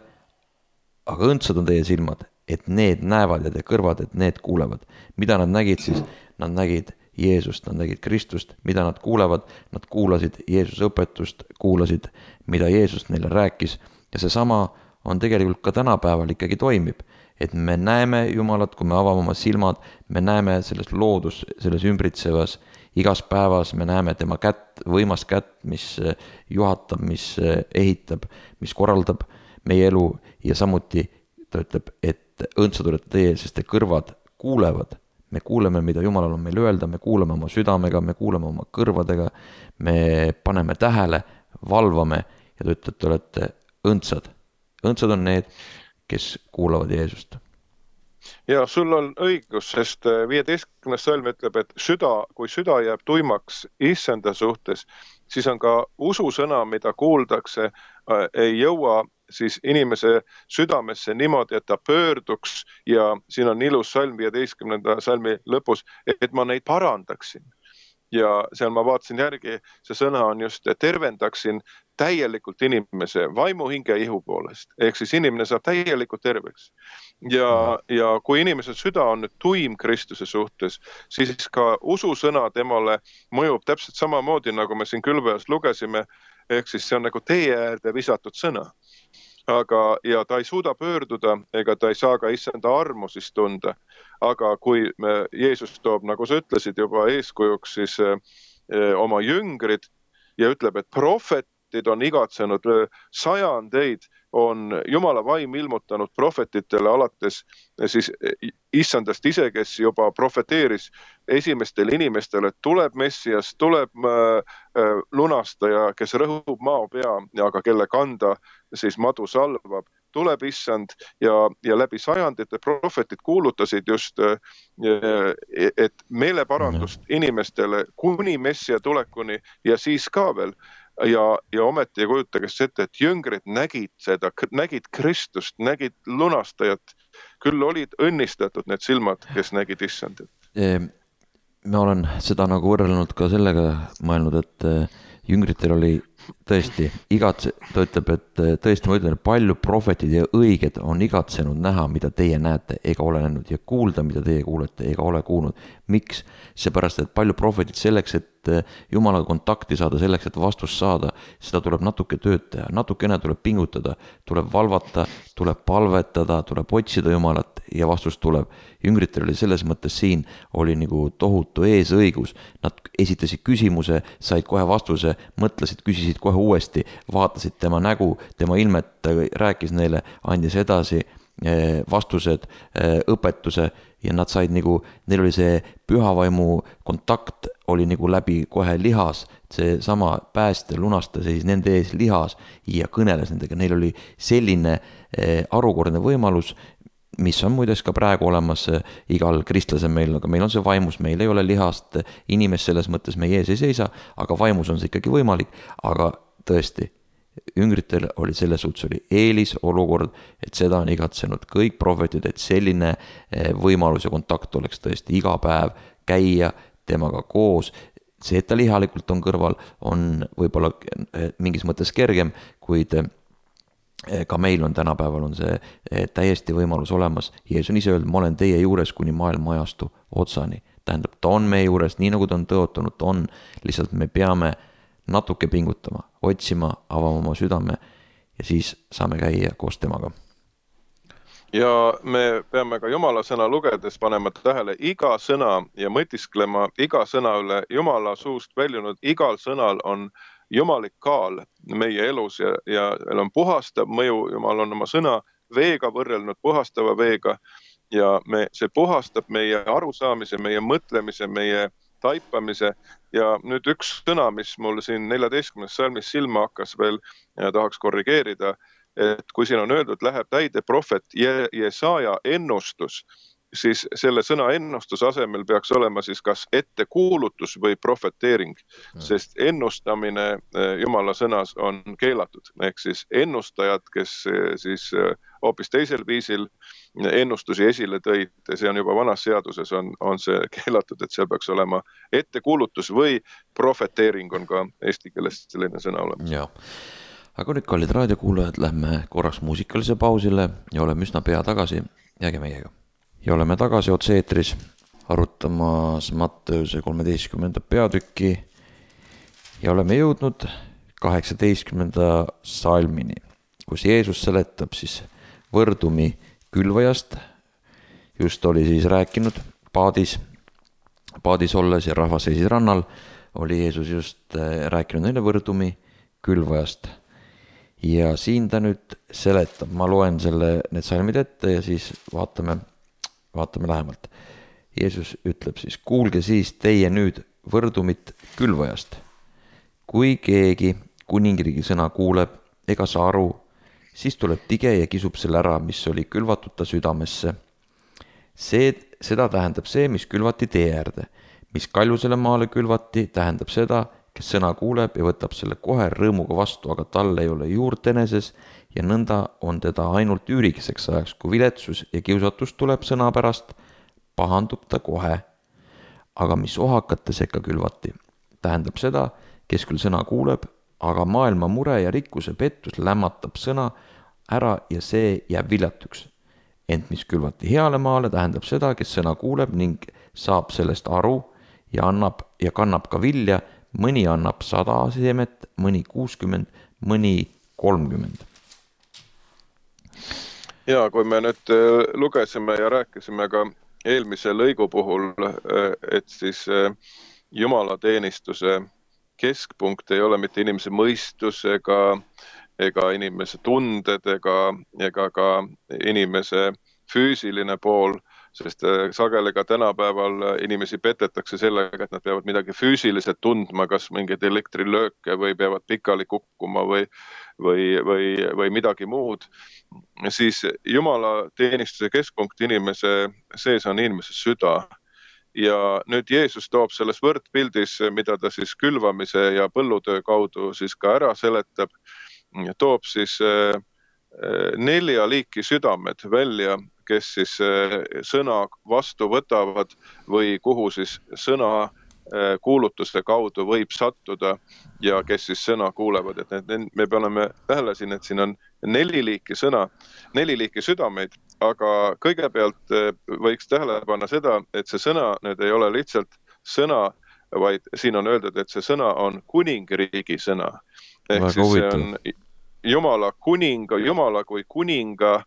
aga õndsad on teie silmad, et need näevad ja teie kõrvad, et need kuulevad. Mida nad nägid siis? Nad nägid Jeesust, nad nägid Kristust, mida nad kuulevad, nad kuulasid Jeesuse õpetust, kuulasid, mida Jeesus neile rääkis ja seesama on tegelikult ka tänapäeval ikkagi toimib, et me näeme Jumalat, kui me avame oma silmad, me näeme selles loodus, selles ümbritsevas, igas päevas me näeme tema kätt, võimast kätt, mis juhatab, mis ehitab, mis korraldab meie elu ja samuti ta ütleb, et õndsad olete teie, sest te kõrvad kuulevad. Me kuuleme, mida Jumalal on meil öelda, me kuuleme oma südamega, me kuuleme oma kõrvadega, me paneme tähele, valvame ja ta ütleb, te olete õndsad. Õndsad on need, kes kuulavad Jeesust. Ja sul on õigus, sest 15. salm ütleb, et kui süda jääb tuimaks issanda suhtes, siis on ka ususõna, mida kuuldakse, ei jõua siis inimese südamesse niimoodi, et ta pöörduks ja siin on ilus salm 15. salmi lõpus, et ma neid parandaksin. Ja seal ma vaatasin järgi, see sõna on just tervendaksin täielikult inimese vaimu, hinge ja ihu poolest. Ehk siis inimene saab täielikult terveks. Ja kui inimese süda on nüüd tuim Kristuse suhtes, siis ka ususõna temale mõjub täpselt samamoodi, nagu me siin külveas lugesime, ehk siis see on nagu tee äärde visatud sõna. ja ta ei suuda pöörduda ega ta ei saa ka issanda armu siis tunda. Aga kui Jeesus toob, nagu sa ütlesid, juba eeskujuks siis oma jüngrid ja ütleb, et prohvetid on igatsenud sajandeid, on Jumala vaim ilmutanud prohvetitele alates siis issandast ise, kes juba profeteeris esimestele inimestele, et tuleb Messias, tuleb lunastaja, kes rõhub mao pea, aga kelle kanda siis madu salvab, tuleb issand ja läbi sajandite prohvetid kuulutasid just, et meeleparandust inimestele kuni Messia tulekuni ja siis ka veel. Ja ometi ei kujutage ette, et jüngrid nägid seda, nägid Kristust, nägid lunastajat. Küll olid õnnistatud need silmad, kes nägid issandit. Ma olen seda nagu võrrelnud ka sellega mõelnud, et jüngritel oli tõesti ta ütleb, et tõesti ma ütlen, et palju prohvetid ja õiged on igatsenud näha, mida teie näete ega ole näinud ja kuulda, mida teie kuulete ega ole kuulnud. Miks? Seepärast, et palju prohvetid selleks, et Jumalaga kontakti saada, selleks, et vastust saada, seda tuleb natuke tööd teha, natukene tuleb pingutada, tuleb valvata, tuleb palvetada, tuleb otsida Jumalat ja vastus tuleb. Jüngritel oli selles mõttes siin oli nagu tohutu eesõigus. Nad esitasid küsimuse, said kohe vastuse, mõtlesid, küsisid kohe uuesti, vaatasid tema nägu, tema ilmet, rääkis neile, andis edasi vastused, õpetuse ja nad said nagu, neil oli see pühavaimu kontakt oli nagu läbi kohe lihas, see sama pääste lunastaja siis nende ees lihas ja kõneles nendega, neil oli selline harukordne võimalus, mis on muides ka praegu olemas igal kristlasel meil, aga meil on see vaimus, meil ei ole lihast inimest selles mõttes meie ees ei seisa, aga vaimus on see ikkagi võimalik, aga tõesti, jüngritel oli selles suhtes oli eelis olukord, et seda on igatsenud kõik prohvetid, et selline võimalus ja kontakt oleks tõesti iga päev käia temaga koos. See, et ta lihalikult on kõrval, on võib-olla mingis mõttes kergem, kuid ka meil on tänapäeval on see täiesti võimalus olemas. Jeesus on ise öelnud, ma olen teie juures kuni maailma ajastu otsani. Tähendab, ta on meie juures, nii nagu ta on tõotanud, ta on. Lihtsalt me peame natuke pingutama, otsima, avama oma südame ja siis saame käia koos temaga. Ja me peame ka Jumala sõna lugedes panema tähele iga sõna ja mõtisklema iga sõna üle Jumala suust väljunud. Igal sõnal on jumalik kaal meie elus ja on puhastav mõju. Jumal on oma sõna veega võrrelnud, puhastava veega ja see puhastab meie arusaamise, meie mõtlemise, meie taipamise ja nüüd üks sõna, mis mul siin 14. salmis silma hakkas veel ja tahaks korrigeerida, et kui siin on öeldud, läheb täide prohvet Jesaja ennustus, siis selle sõna ennustuse asemel peaks olema siis kas ettekuulutus või profeteering, sest ennustamine Jumala sõnas on keelatud. Ehk siis ennustajad, kes siis hoopis teisel viisil ennustusi esile tõid, see on juba vanas seaduses on see keelatud, et seal peaks olema ettekuulutus või profeteering on ka eesti keeles selline sõna olemas. Ja. Aga nüüd, kallid raadiokuulajad, lähme korraks muusikalise pausile ja oleme üsna pea tagasi. Jääge meiega. Ja oleme tagasi otse-eetris arutamas Matteuse 13. peatükki ja oleme jõudnud 18. salmini, kus Jeesus seletab siis võrdumi külvajast. Just oli siis rääkinud paadis olles ja rahvas seisis rannal, oli Jeesus just rääkinud neile võrdumi külvajast. Ja siin ta nüüd seletab, ma loen need salmid ette ja siis vaatame lähemalt. Jeesus ütleb siis, kuulge siis teie nüüd võrdumit külvajast. Kui keegi kuningriigi sõna kuuleb ega saa aru, siis tuleb tige ja kisub selle ära, mis oli külvatud ta südamesse. Seda tähendab see, mis külvati tee äärde. Mis kaljusele maale külvati, tähendab seda, kes sõna kuuleb ja võtab selle kohe rõõmuga vastu, aga tal ei ole juurt eneses ja nõnda on teda ainult üürikeseks ajaks, kui viletsus ja kiusatus tuleb sõna pärast, pahandub ta kohe. Aga mis ohakate sekka külvati, tähendab seda, kes küll sõna kuuleb, aga maailma mure ja rikkuse pettus lämmatab sõna ära ja see jääb viljatuks. Ent mis külvati heale maale, tähendab seda, kes sõna kuuleb ning saab sellest aru ja kannab ka vilja. Mõni annab 100 seemet, mõni 60, mõni 30. Ja kui me nüüd lugesime ja rääkisime ka eelmise lõigu puhul, et siis jumalateenistuse keskpunkt ei ole mitte inimese mõistus ega inimese tunded ega ka inimese füüsiline pool, sest sageli ka tänapäeval inimesi petetakse sellega, et nad peavad midagi füüsiliselt tundma, kas mingeid elektrilööke või peavad pikali kukkuma või midagi muud, siis jumalateenistuse keskpunkt inimese sees on inimese süda. Ja nüüd Jeesus toob selles võrdpildis, mida ta siis külvamise ja põllutöö kaudu siis ka ära seletab, toob siis 4 liiki südamed välja, kes siis sõna vastu võtavad või kuhu siis sõna kuulutuse kaudu võib sattuda ja kes siis sõna kuulevad. Et me paneme tähele siin, et siin on 4 liiki sõna, 4 liiki südameid, aga kõigepealt võiks tähele panna seda, et see sõna nüüd ei ole lihtsalt sõna, vaid siin on öeldud, et see sõna on kuningriigi sõna. Ehk siis see on Jumala kuninga, Jumala kui kuninga,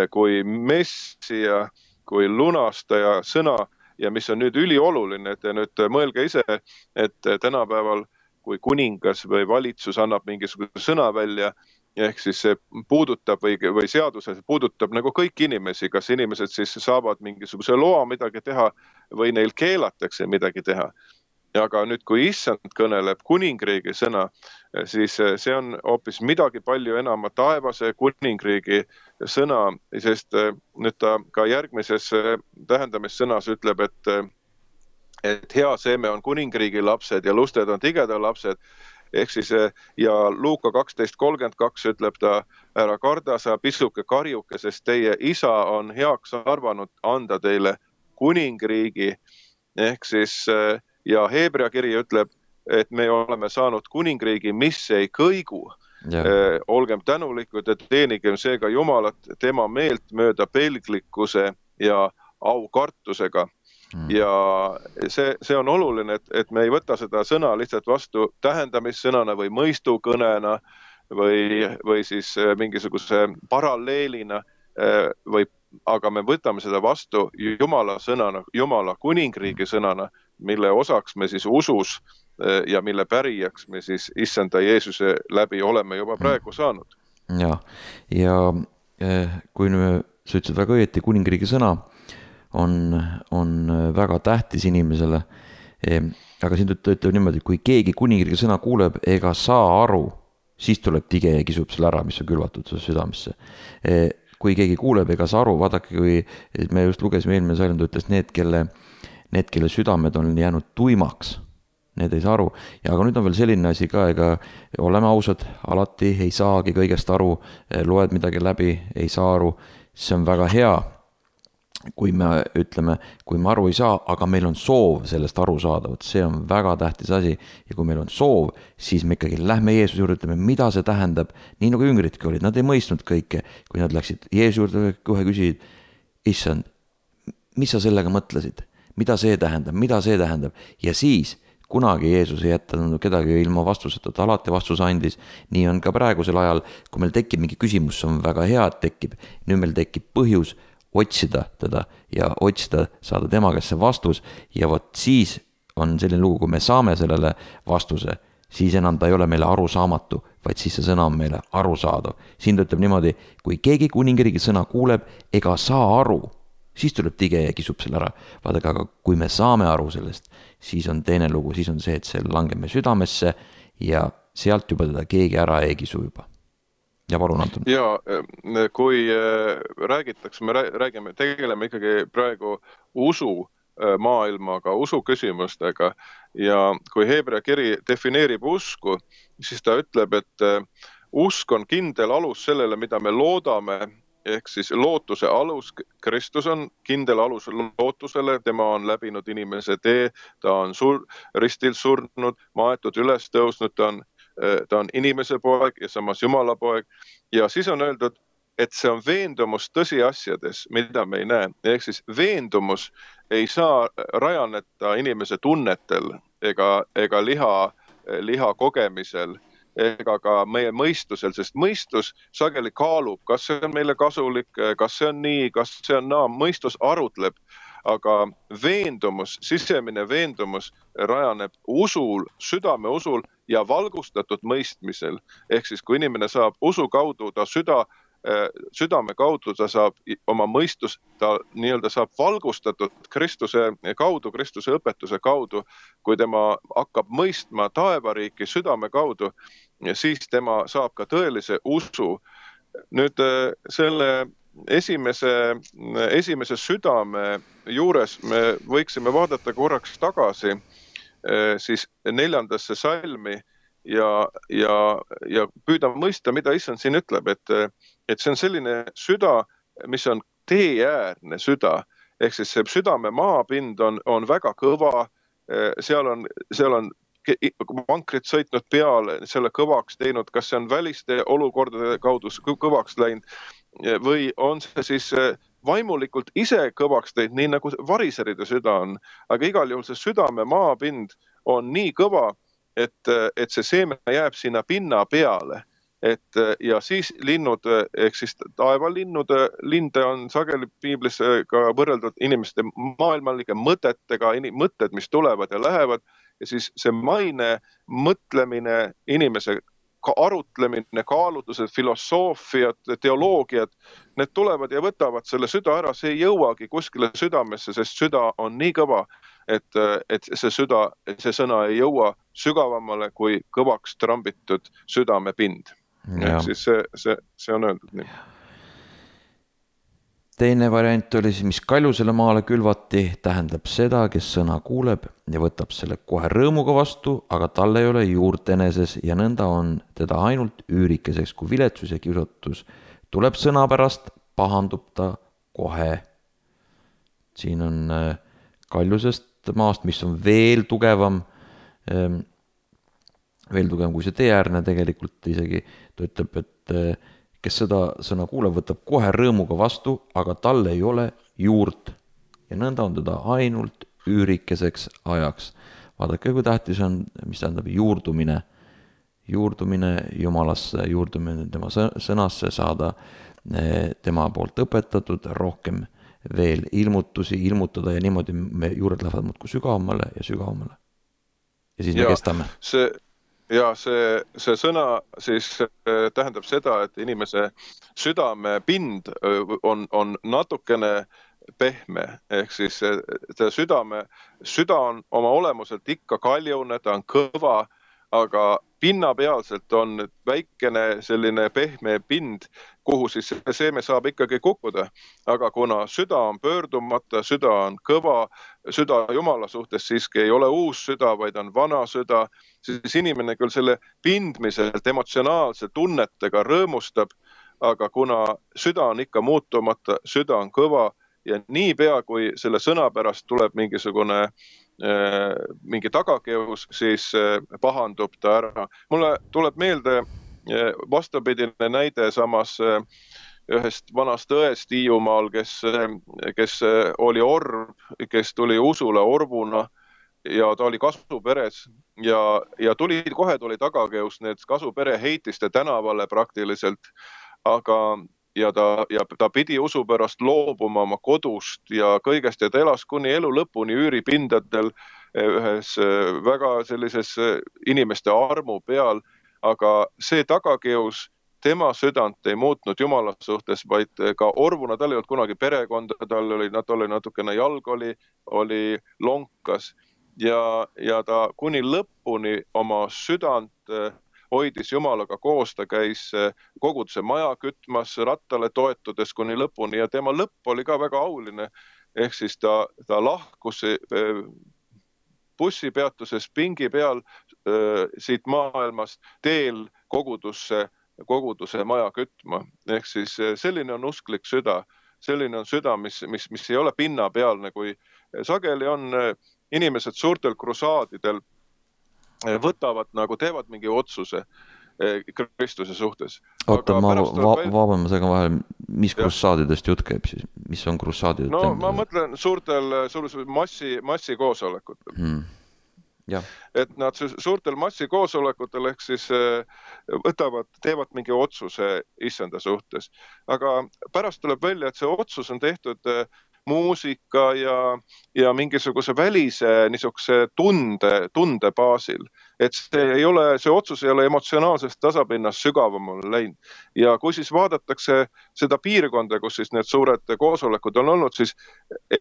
kui messia, kui lunastaja sõna. Ja mis on nüüd ülioluline, et nüüd mõelge ise, et tänapäeval, kui kuningas või valitsus annab mingisuguse sõna välja, ehk siis see puudutab või seaduses puudutab nagu kõik inimesi, kas inimesed siis saavad mingisuguse loa midagi teha või neil keelatakse midagi teha. Aga nüüd, kui issand kõneleb kuningriigi sõna, siis see on hoopis midagi palju enam taevase kuningriigi sõna, sest nüüd ta ka järgmises tähendamissõnas ütleb, et hea seeme on kuningriigi lapsed ja lusted on tigeda lapsed. Ehk siis ja Luuka 12:32 ütleb ta, ära karda sa pisuke karjuke, sest teie isa on heaks arvanud anda teile kuningriigi. Ehk siis ja Heebrea kiri ütleb, et me oleme saanud kuningriigi, mis ei kõigu. Olgem tänulikud, et teenigem seega Jumalat tema meelt mööda pelglikkuse ja aukartusega. Ja see on oluline, et me ei võta seda sõna lihtsalt vastu tähendamissõnana või mõistukõnena või siis mingisuguse paralleelina, aga me võtame seda vastu Jumala sõnana, Jumala kuningriigi sõnana, mille osaks me siis usus ja mille pärijaks me siis issanda Jeesuse läbi oleme juba praegu saanud. Ja kui sa ütlesid väga õieti, kuningriigi sõna on väga tähtis inimesele, aga siin ütleb niimoodi, kui keegi kuningriigi sõna kuuleb ega saa aru, siis tuleb tige ja kisub selle ära, mis on külvatud südamesse. Kui keegi kuuleb ega saa aru, vaadake, kui me just lugesime eelmine sajand, ütles need, kelle südamed on jäänud tuimaks, need ei saa aru. Ja aga nüüd on veel selline asi ka, ega oleme ausad, alati ei saagi kõigest aru, loed midagi läbi, ei saa aru, see on väga hea, kui me ütleme, kui me aru ei saa, aga meil on soov sellest aru saada, see on väga tähtis asi. Ja kui meil on soov, siis me ikkagi lähme Jeesuse juurde, ütleme, mida see tähendab, nii nagu jüngritki olid, nad ei mõistnud kõike, kui nad läksid Jeesuse juurde, kohe küsisid, issand, mis sa sellega mõtlesid, mida see tähendab, ja siis kunagi Jeesus ei jätanud kedagi ilma vastuseta, ta alati vastuse andis. Nii on ka praegusel ajal, kui meil tekib mingi küsimus, on väga hea, et tekib, nüüd meil tekib põhjus otsida teda ja otsida, saada tema käest see vastus ja vot siis on selline lugu, kui me saame sellele vastuse, siis enam ta ei ole meile arusaamatu, vaid siis see sõna on meile arusaadav. Siin ta ütleb niimoodi, kui keegi kuningriigi sõna kuuleb ega saa aru, siis tuleb tige ja kisub selle ära. Vaadake, aga kui me saame aru sellest, siis on teine lugu, siis on see, et see langeme südamesse ja sealt juba teda keegi ära ei kisu juba. Ja palun, Anton. Ja kui räägitakse, me tegeleme ikkagi praegu usu maailmaga, usu küsimustega ja kui Heebrea kiri defineerib usku, siis ta ütleb, et usk on kindel alus sellele, mida me loodame, ehk siis lootuse alus. Kristus on kindel alus lootusele, tema on läbinud inimese tee, ta on ristil surnud, maetud üles tõusnud, ta on inimese poeg ja samas Jumala poeg. Ja siis on öeldud, et see on veendumus tõsiasjades, mida me ei näe. Ehk siis veendumus ei saa rajaneta inimese tunnetel ega liha kogemisel, ega ka meie mõistusel, sest mõistus sageli kaalub, kas see on meile kasulik, kas see on nii, kas see on naa, mõistus arutleb, aga veendumus, sisemine veendumus rajaneb usul, südame usul ja valgustatud mõistmisel. Ehk siis, kui inimene saab usu kaudu, ta südame kaudu, ta saab oma mõistus, ta nii-öelda saab valgustatud Kristuse kaudu, Kristuse õpetuse kaudu, kui tema hakkab mõistma taevariiki südame kaudu, siis tema saab ka tõelise usu. Nüüd selle esimese südame juures me võiksime vaadata korraks tagasi siis 4. salmi ja püüda mõista, mida Issand siin ütleb, et see on selline süda, mis on teeäärne süda, ehk siis see südame maapind on väga kõva, seal on vankrid sõitnud peale, selle kõvaks teinud, kas see on väliste olukordade kaudu kõvaks läinud või on see siis vaimulikult ise kõvaks teinud, nii nagu variseride süda on, aga igal juhul see südame maapind on nii kõva, et see seeme jääb sinna pinna peale. Ja siis linnud, ehk siis taevalinnude, linde on sageli piiblis ka võrreldud inimeste maailmalike mõtetega, mõtted, mis tulevad ja lähevad, ja siis see maine, mõtlemine, inimese arutlemine, kaalutlused, filosoofiad, teoloogiad, need tulevad ja võtavad selle süda ära, see ei jõuagi kuskile südamesse, sest süda on nii kõva, et see sõna ei jõua sügavamale kui kõvaks trambitud südamepind. Siis see on öeldud nii. Teine variant oli siis, mis kaljusele maale külvati, tähendab seda, kes sõna kuuleb ja võtab selle kohe rõõmuga vastu, aga tal ei ole juurt eneses ja nõnda on teda ainult üürikeseks, kui viletsus ja kiusatus tuleb sõna pärast, pahandub ta kohe. Siin on kaljusest maast, mis on veel tugevam kui see teeäärne tegelikult isegi. Ta ütleb, et kes seda sõna kuuleb, võtab kohe rõõmuga vastu, aga tal ei ole juurt ja nõnda on teda ainult üürikeseks ajaks. Vaadake, kui tähtis on, mis tähendab juurdumine Jumalasse, juurdumine tema sõnasse, saada tema poolt õpetatud, rohkem veel ilmutada ja niimoodi me juured lähevad muudkui sügavamale ja sügavamale. Ja siis me kestame. See sõna siis tähendab seda, et inimese südamepind on natukene pehme, ehk siis süda on oma olemuselt ikka kaljune, ta on kõva, aga pinnapealselt on väikene selline pehme pind, kuhu siis see seeme saab ikkagi kukkuda. Aga kuna süda on pöördumata, süda on kõva, süda Jumala suhtes siiski ei ole uus süda, vaid on vana süda, siis inimene küll selle pindmiselt emotsionaalse tunnetega rõõmustab, aga kuna süda on ikka muutumata, süda on kõva ja niipea, kui selle sõna pärast tuleb mingi tagakeus, siis pahandub ta ära. Mulle tuleb meelde vastupidine näide samas ühest vanast õest Hiiumaal, kes oli orv, kes tuli usule orvuna ja ta oli kasuperes ja kohe tuli tagakeus, need kasupere heitiste tänavale praktiliselt, ja ta pidi usu pärast loobuma oma kodust ja kõigest ja ta elas kuni elu lõpuni üüripindadel ühes väga sellises inimeste armu peal, aga see tagakeus tema südant ei muutnud Jumala suhtes, vaid ka orvuna, tal ei olnud kunagi perekonda, tal oli natukene jalg oli lonkas ja ta kuni lõpuni oma südant hoidis Jumalaga koos, ta käis koguduse maja kütmas, rattale toetudes kuni lõpuni ja tema lõpp oli ka väga auline. Ehk siis ta lahkus bussipeatuses pingi peal siit maailmast teel koguduse maja kütma. Ehk siis selline on usklik süda, selline on süda, mis ei ole pinnapealne, kui sageli on inimesed suurtel krusaadidel võtavad teevad mingi otsuse Kristuse suhtes. Oota, ma vaban segan vahel, mis krussaadidest jutt käib siis? Mis on krussaadid? No ma mõtlen suurtel massikoosolekutel. jah. Et nad suurtel massikoosolekutel ehk siis teevad mingi otsuse issanda suhtes. Aga pärast tuleb välja, et see otsus on tehtud muusika ja mingisuguse välise niisuguse tunde baasil. Et see otsus ei ole emotsionaalsest tasapinnast sügavamale läinud. Ja kui siis vaadatakse seda piirkonda, kus siis need suured koosolekud on olnud, siis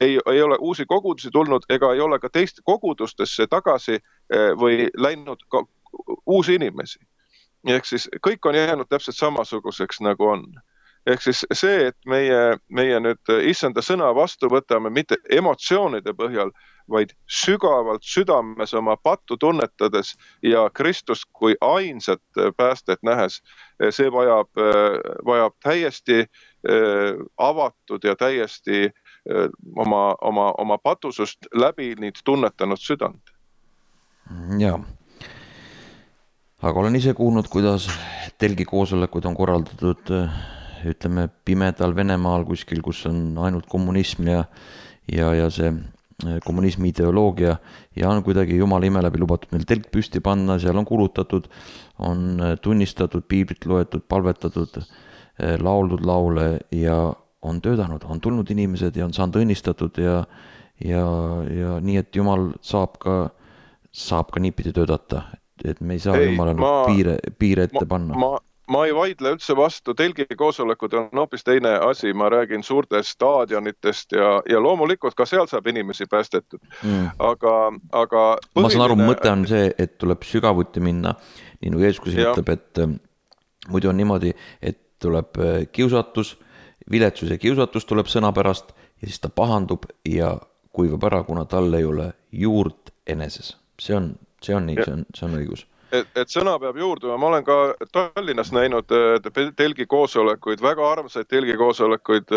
ei ole uusi kogudusi tulnud ega ei ole ka teiste kogudustesse tagasi või läinud ka uusi inimesi. Ehk siis kõik on jäänud täpselt samasuguseks, nagu on. Ehk siis see, et meie nüüd issanda sõna vastu võtame mitte emotsioonide põhjal, vaid sügavalt südames oma pattu tunnetades ja Kristust kui ainsat päästet nähes, see vajab täiesti avatud ja täiesti oma patusust läbi nüüd tunnetanud südant. Jaa. Aga olen ise kuulnud, kuidas telgi koosolekud on korraldatud, ütleme, pimedal Venemaal kuskil, kus on ainult kommunism ja see kommunismi ideoloogia ja on kuidagi jumala ime läbi lubatud meil telk püsti panna, seal on kulutatud, on tunnistatud, piiblit loetud, palvetatud, lauldud laule ja on töötanud, on tulnud inimesed ja on saanud õnnistatud ja nii, et jumal saab ka niipidi töötada, et me ei saa jumalale piire ette panna. Ma ei vaidle üldse vastu, telgi koosolekud on hoopis teine asi, ma räägin suurtest staadionitest ja loomulikult ka seal saab inimesi päästetud. Aga ma saan aru, mõte on see, et tuleb sügavuti minna, nii nagu Jeesus ütleb, et muidu on niimoodi, et tuleb kiusatus, viletsus ja kiusatus tuleb sõna pärast ja siis ta pahandub ja kuivab ära, kuna tal ei ole juurt eneses. See on nii, see on õigus. Et sõna peab juurduma. Ma olen ka Tallinnas näinud telgi koosolekuid, väga armsaid telgi koosolekuid,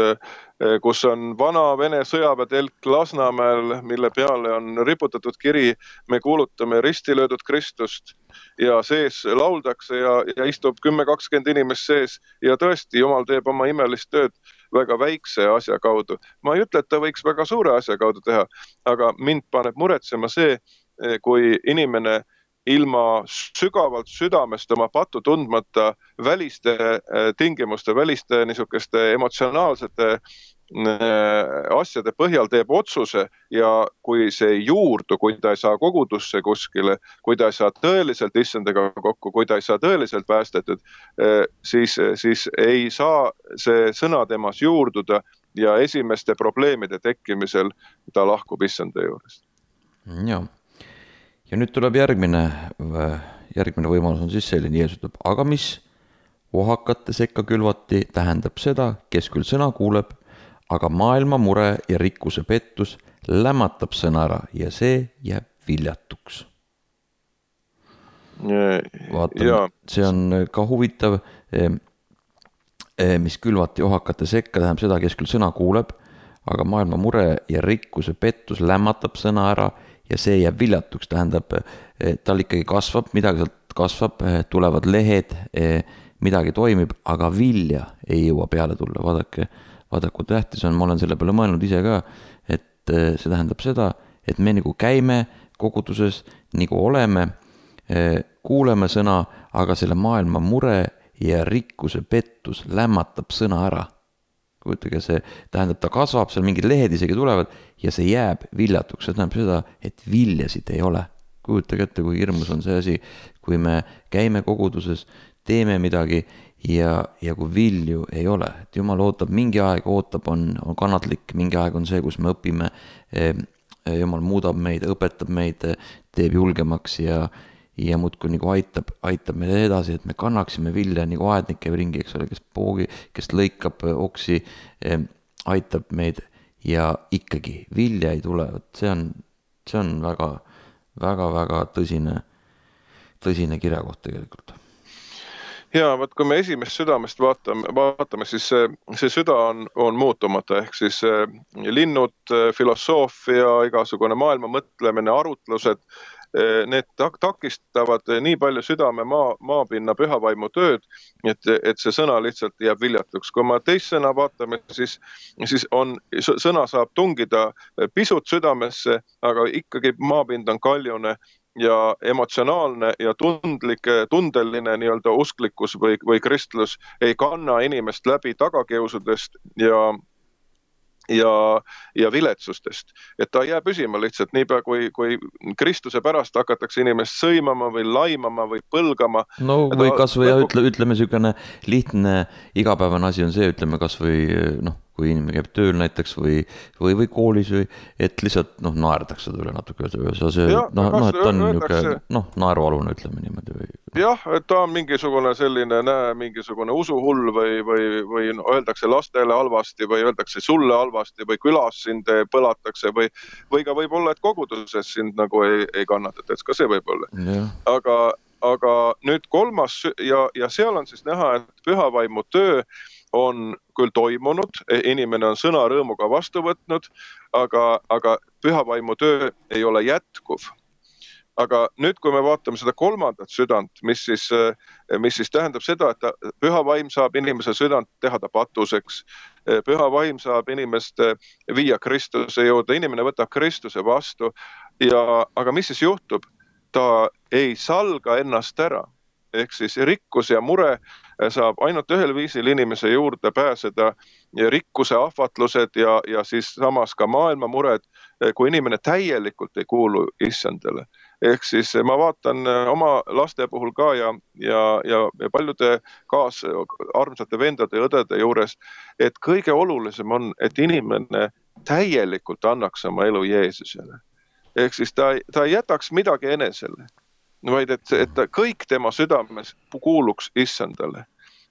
kus on vana Vene sõjaväetelk Lasnamäel, mille peale on riputatud kiri, me kuulutame ristilöödud Kristust ja sees lauldakse ja istub 10-20 inimest sees ja tõesti, Jumal teeb oma imelist tööd väga väikse asja kaudu. Ma ei ütle, et ta võiks väga suure asja kaudu teha, aga mind paneb muretsema see, kui inimene ilma sügavalt südamest oma pattu tundmata väliste tingimuste, väliste niisugeste emotsionaalsete asjade põhjal teeb otsuse ja kui see ei juurdu, kui ta ei saa kogudusse kuskile, kui ta ei saa tõeliselt issandaga kokku, kui ta ei saa tõeliselt päästetud, siis ei saa see sõna temas juurduda ja esimeste probleemide tekkimisel ta lahkub issanda juurest. Jah. Ja nüüd tuleb järgmine võimalus on siis selline, Jeesus ütleb, aga mis ohakate sekka külvati, tähendab seda, kes küll sõna kuuleb, aga maailma mure ja rikkuse pettus lämmatab sõna ära ja see jääb viljatuks. Vaatame, see on ka huvitav, mis külvati ohakate sekka, tähendab seda, kes küll sõna kuuleb, aga maailma mure ja rikkuse pettus lämmatab sõna ära ja see jääb viljatuks, tähendab, tal ikkagi kasvab, midagi sealt kasvab, tulevad lehed, midagi toimib, aga vilja ei jõua peale tulla. Vaadake, kui tähtis on, ma olen selle peale mõelnud ise ka, et see tähendab seda, et me nagu käime koguduses, nagu oleme, kuuleme sõna, aga selle maailma mure ja rikkuse pettus lämmatab sõna ära. Kujutage, see tähendab, ta kasvab, seal mingid lehed isegi tulevad ja see jääb viljatuks. See tähendab seda, et viljasid ei ole. Kujutage ette, kui hirmus on see asi, kui me käime koguduses, teeme midagi ja kui vilju ei ole. Et Jumal ootab, mingi aeg ootab, on kannatlik, mingi aeg on see, kus me õpime, Jumal muudab meid, õpetab meid, teeb julgemaks ja muudkui nagu aitab meid edasi, et me kannaksime vilja nagu aednik käib ringi, eks ole, kes lõikab oksi, aitab meid ja ikkagi vilja ei tule. See on väga tõsine kirjakoht tegelikult. Ja, kui me esimest südamest vaatame, siis see süda on muutumata, ehk siis linnud, filosoofia, igasugune maailma mõtlemine, arutlused, need takistavad nii palju südame maapinna pühavaimu tööd, et see sõna lihtsalt jääb viljatuks. Kui me teist sõna vaatame, siis sõna saab tungida pisut südamesse, aga ikkagi maapind on kaljune ja emotsionaalne ja tundeline nii-öelda usklikkus või kristlus ei kanna inimest läbi tagakiusudest ja viletsustest. Et ta jää püsima lihtsalt niipea, kui Kristuse pärast hakatakse inimest sõimama või laimama või põlgama. No või kas või ütleme niisugune lihtne igapäevane asi on see, ütleme kas või kui inimene käib tööl näiteks või koolis või, et lihtsalt naerdakse ta üle natuke. See, et ta on niisugune naerualune, ütleme niimoodi. Jah, et ta on mingisugune selline, mingisugune usuhull või öeldakse lastele halvasti või öeldakse sulle halvasti või külas sind põlatakse või ka võib olla, et koguduses sind nagu ei kannatata, et ka see võib olla. Aga nüüd kolmas ja seal on siis näha, et pühavaimu töö on küll toimunud, inimene on sõna rõõmuga vastu võtnud, aga pühavaimu töö ei ole jätkuv. Aga nüüd, kui me vaatame seda kolmandat südant, mis siis tähendab seda, et pühavaim saab inimese südant teha ta patuseks, pühavaim saab inimest viia Kristuse juurde, inimene võtab Kristuse vastu, aga mis siis juhtub? Ta ei salga ennast ära. Ehk siis rikkus ja mure saab ainult ühel viisil inimese juurde pääseda, rikkuse ahvatlused ja siis samas ka maailma mured, kui inimene täielikult ei kuulu issandale. Ehk siis ma vaatan oma laste puhul ka ja paljude armsate vendade ja õdede juures, et kõige olulisem on, et inimene täielikult annaks oma elu Jeesusele. Ehk siis ta ei jätaks midagi enesele, vaid et kõik tema südames kuuluks issandale.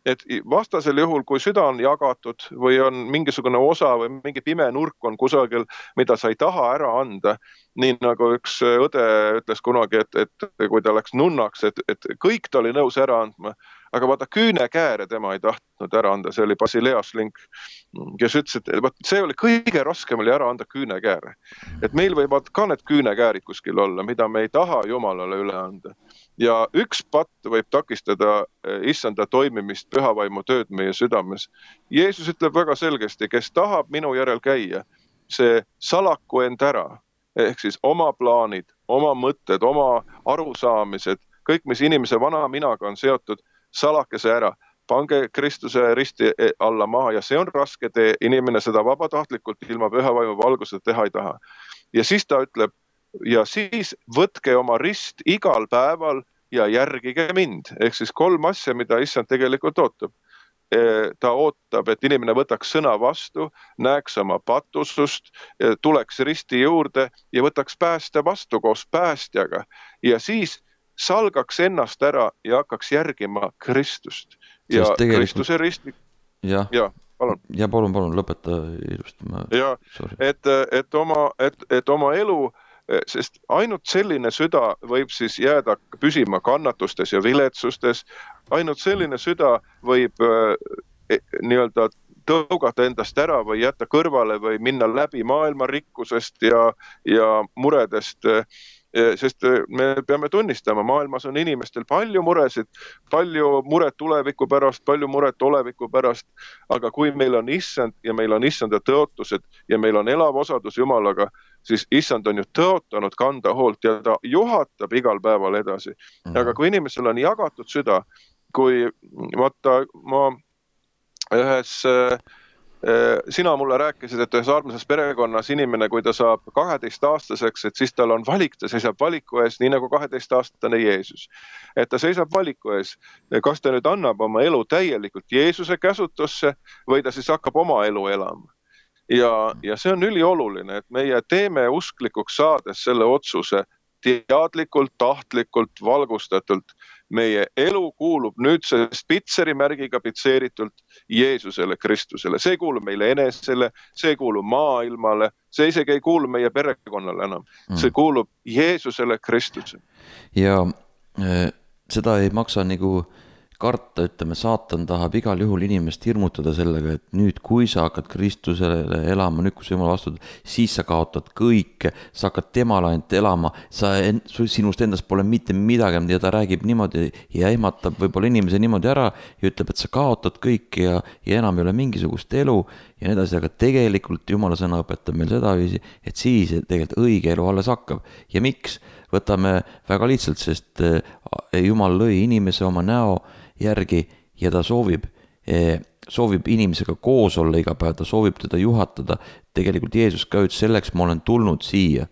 Et vastasel juhul, kui süda on jagatud või on mingisugune osa või mingi pime nurk on kusagil, mida sa ei taha ära anda, nii nagu üks õde ütles kunagi, et kui ta läks nunnaks, et kõik ta oli nõus ära andma, aga vaata küünekääre tema ei tahtnud ära anda, see oli Basileas Link, kes ütles, et see oli kõige raskem oli ära anda küünekääre. Et meil võivad ka need küünekäärid kuskil olla, mida me ei taha Jumalale üle anda. Ja üks patt võib takistada issanda toimimist pühavaimu tööd meie südames. Jeesus ütleb väga selgesti, kes tahab minu järel käia, see salaku end ära, ehk siis oma plaanid, oma mõtted, oma arusaamised, kõik, mis inimese vana minaga on seotud, salake see ära, pange Kristuse risti alla maha ja see on raske tee, inimene seda vabatahtlikult ilma pühavaimu valguseta teha ei taha. Ja siis ta ütleb, ja siis võtke oma rist igal päeval ja järgige mind. Ehk siis 3 asja, mida issand tegelikult ootab. Ta ootab, et inimene võtaks sõna vastu, näeks oma patusust, tuleks risti juurde ja võtaks pääste vastu koos päästjaga. Ja siis salgaks ennast ära ja hakkaks järgima Kristust. Ja Kristuse risti... Ja, palun. Ja palun, lõpeta ilusti. Ja, et oma elu, sest ainult selline süda võib siis jääda püsima kannatustes ja viletsustes, ainult selline süda võib nii-öelda tõugata endast ära või jätta kõrvale või minna läbi maailma rikkusest ja muredest, sest me peame tunnistama, maailmas on inimestel palju muresid, palju muret tuleviku pärast, palju muret oleviku pärast, aga kui meil on issand ja meil on issanda tõotused ja meil on elav osadus Jumalaga, siis issand on ju tõotanud kanda hoolt ja ta juhatab igal päeval edasi. Aga kui inimesel on jagatud süda, kui vaata ma sina mulle rääkisid, et ühes armsas perekonnas inimene, kui ta saab 12-aastaseks, et siis tal on valik, ta seisab valiku ees, nii nagu 12-aastane Jeesus. Et ta seisab valiku ees, kas ta nüüd annab oma elu täielikult Jeesuse käsutusse või ta siis hakkab oma elu elama. Ja see on ülioluline, et meie teeme usklikuks saades selle otsuse teadlikult, tahtlikult, valgustatult. Meie elu kuulub nüüd see Spitseri märgiga pitseeritult Jeesusele, Kristusele. See kuulub meile enesele, see kuulub maailmale, see isegi ei kuulu meie perekonnale enam. See kuulub Jeesusele, Kristusele. Ja seda ei maksa nagu karta, ütleme, saatan tahab igal juhul inimest hirmutada sellega, et nüüd, kui sa hakkad Kristusele elama, nüüd, kui sa Jumal vastu, siis sa kaotad kõike, sa hakkad temale ainult elama, sinust endast pole mitte midagi ja ta räägib niimoodi ja ehmatab võib-olla inimese niimoodi ära ja ütleb, et sa kaotad kõike ja enam ei ole mingisugust elu ja nii edasi, aga tegelikult Jumala sõna õpetab meil sedaviisi, et siis tegelikult õige elu alles hakkab. Ja miks? Võtame väga lihtsalt, sest Jumal lõi inimese oma näo järgi ja ta soovib inimesega koos olla iga päev, ta soovib teda juhatada. Tegelikult Jeesus ka ütles, selleks ma olen tulnud siia,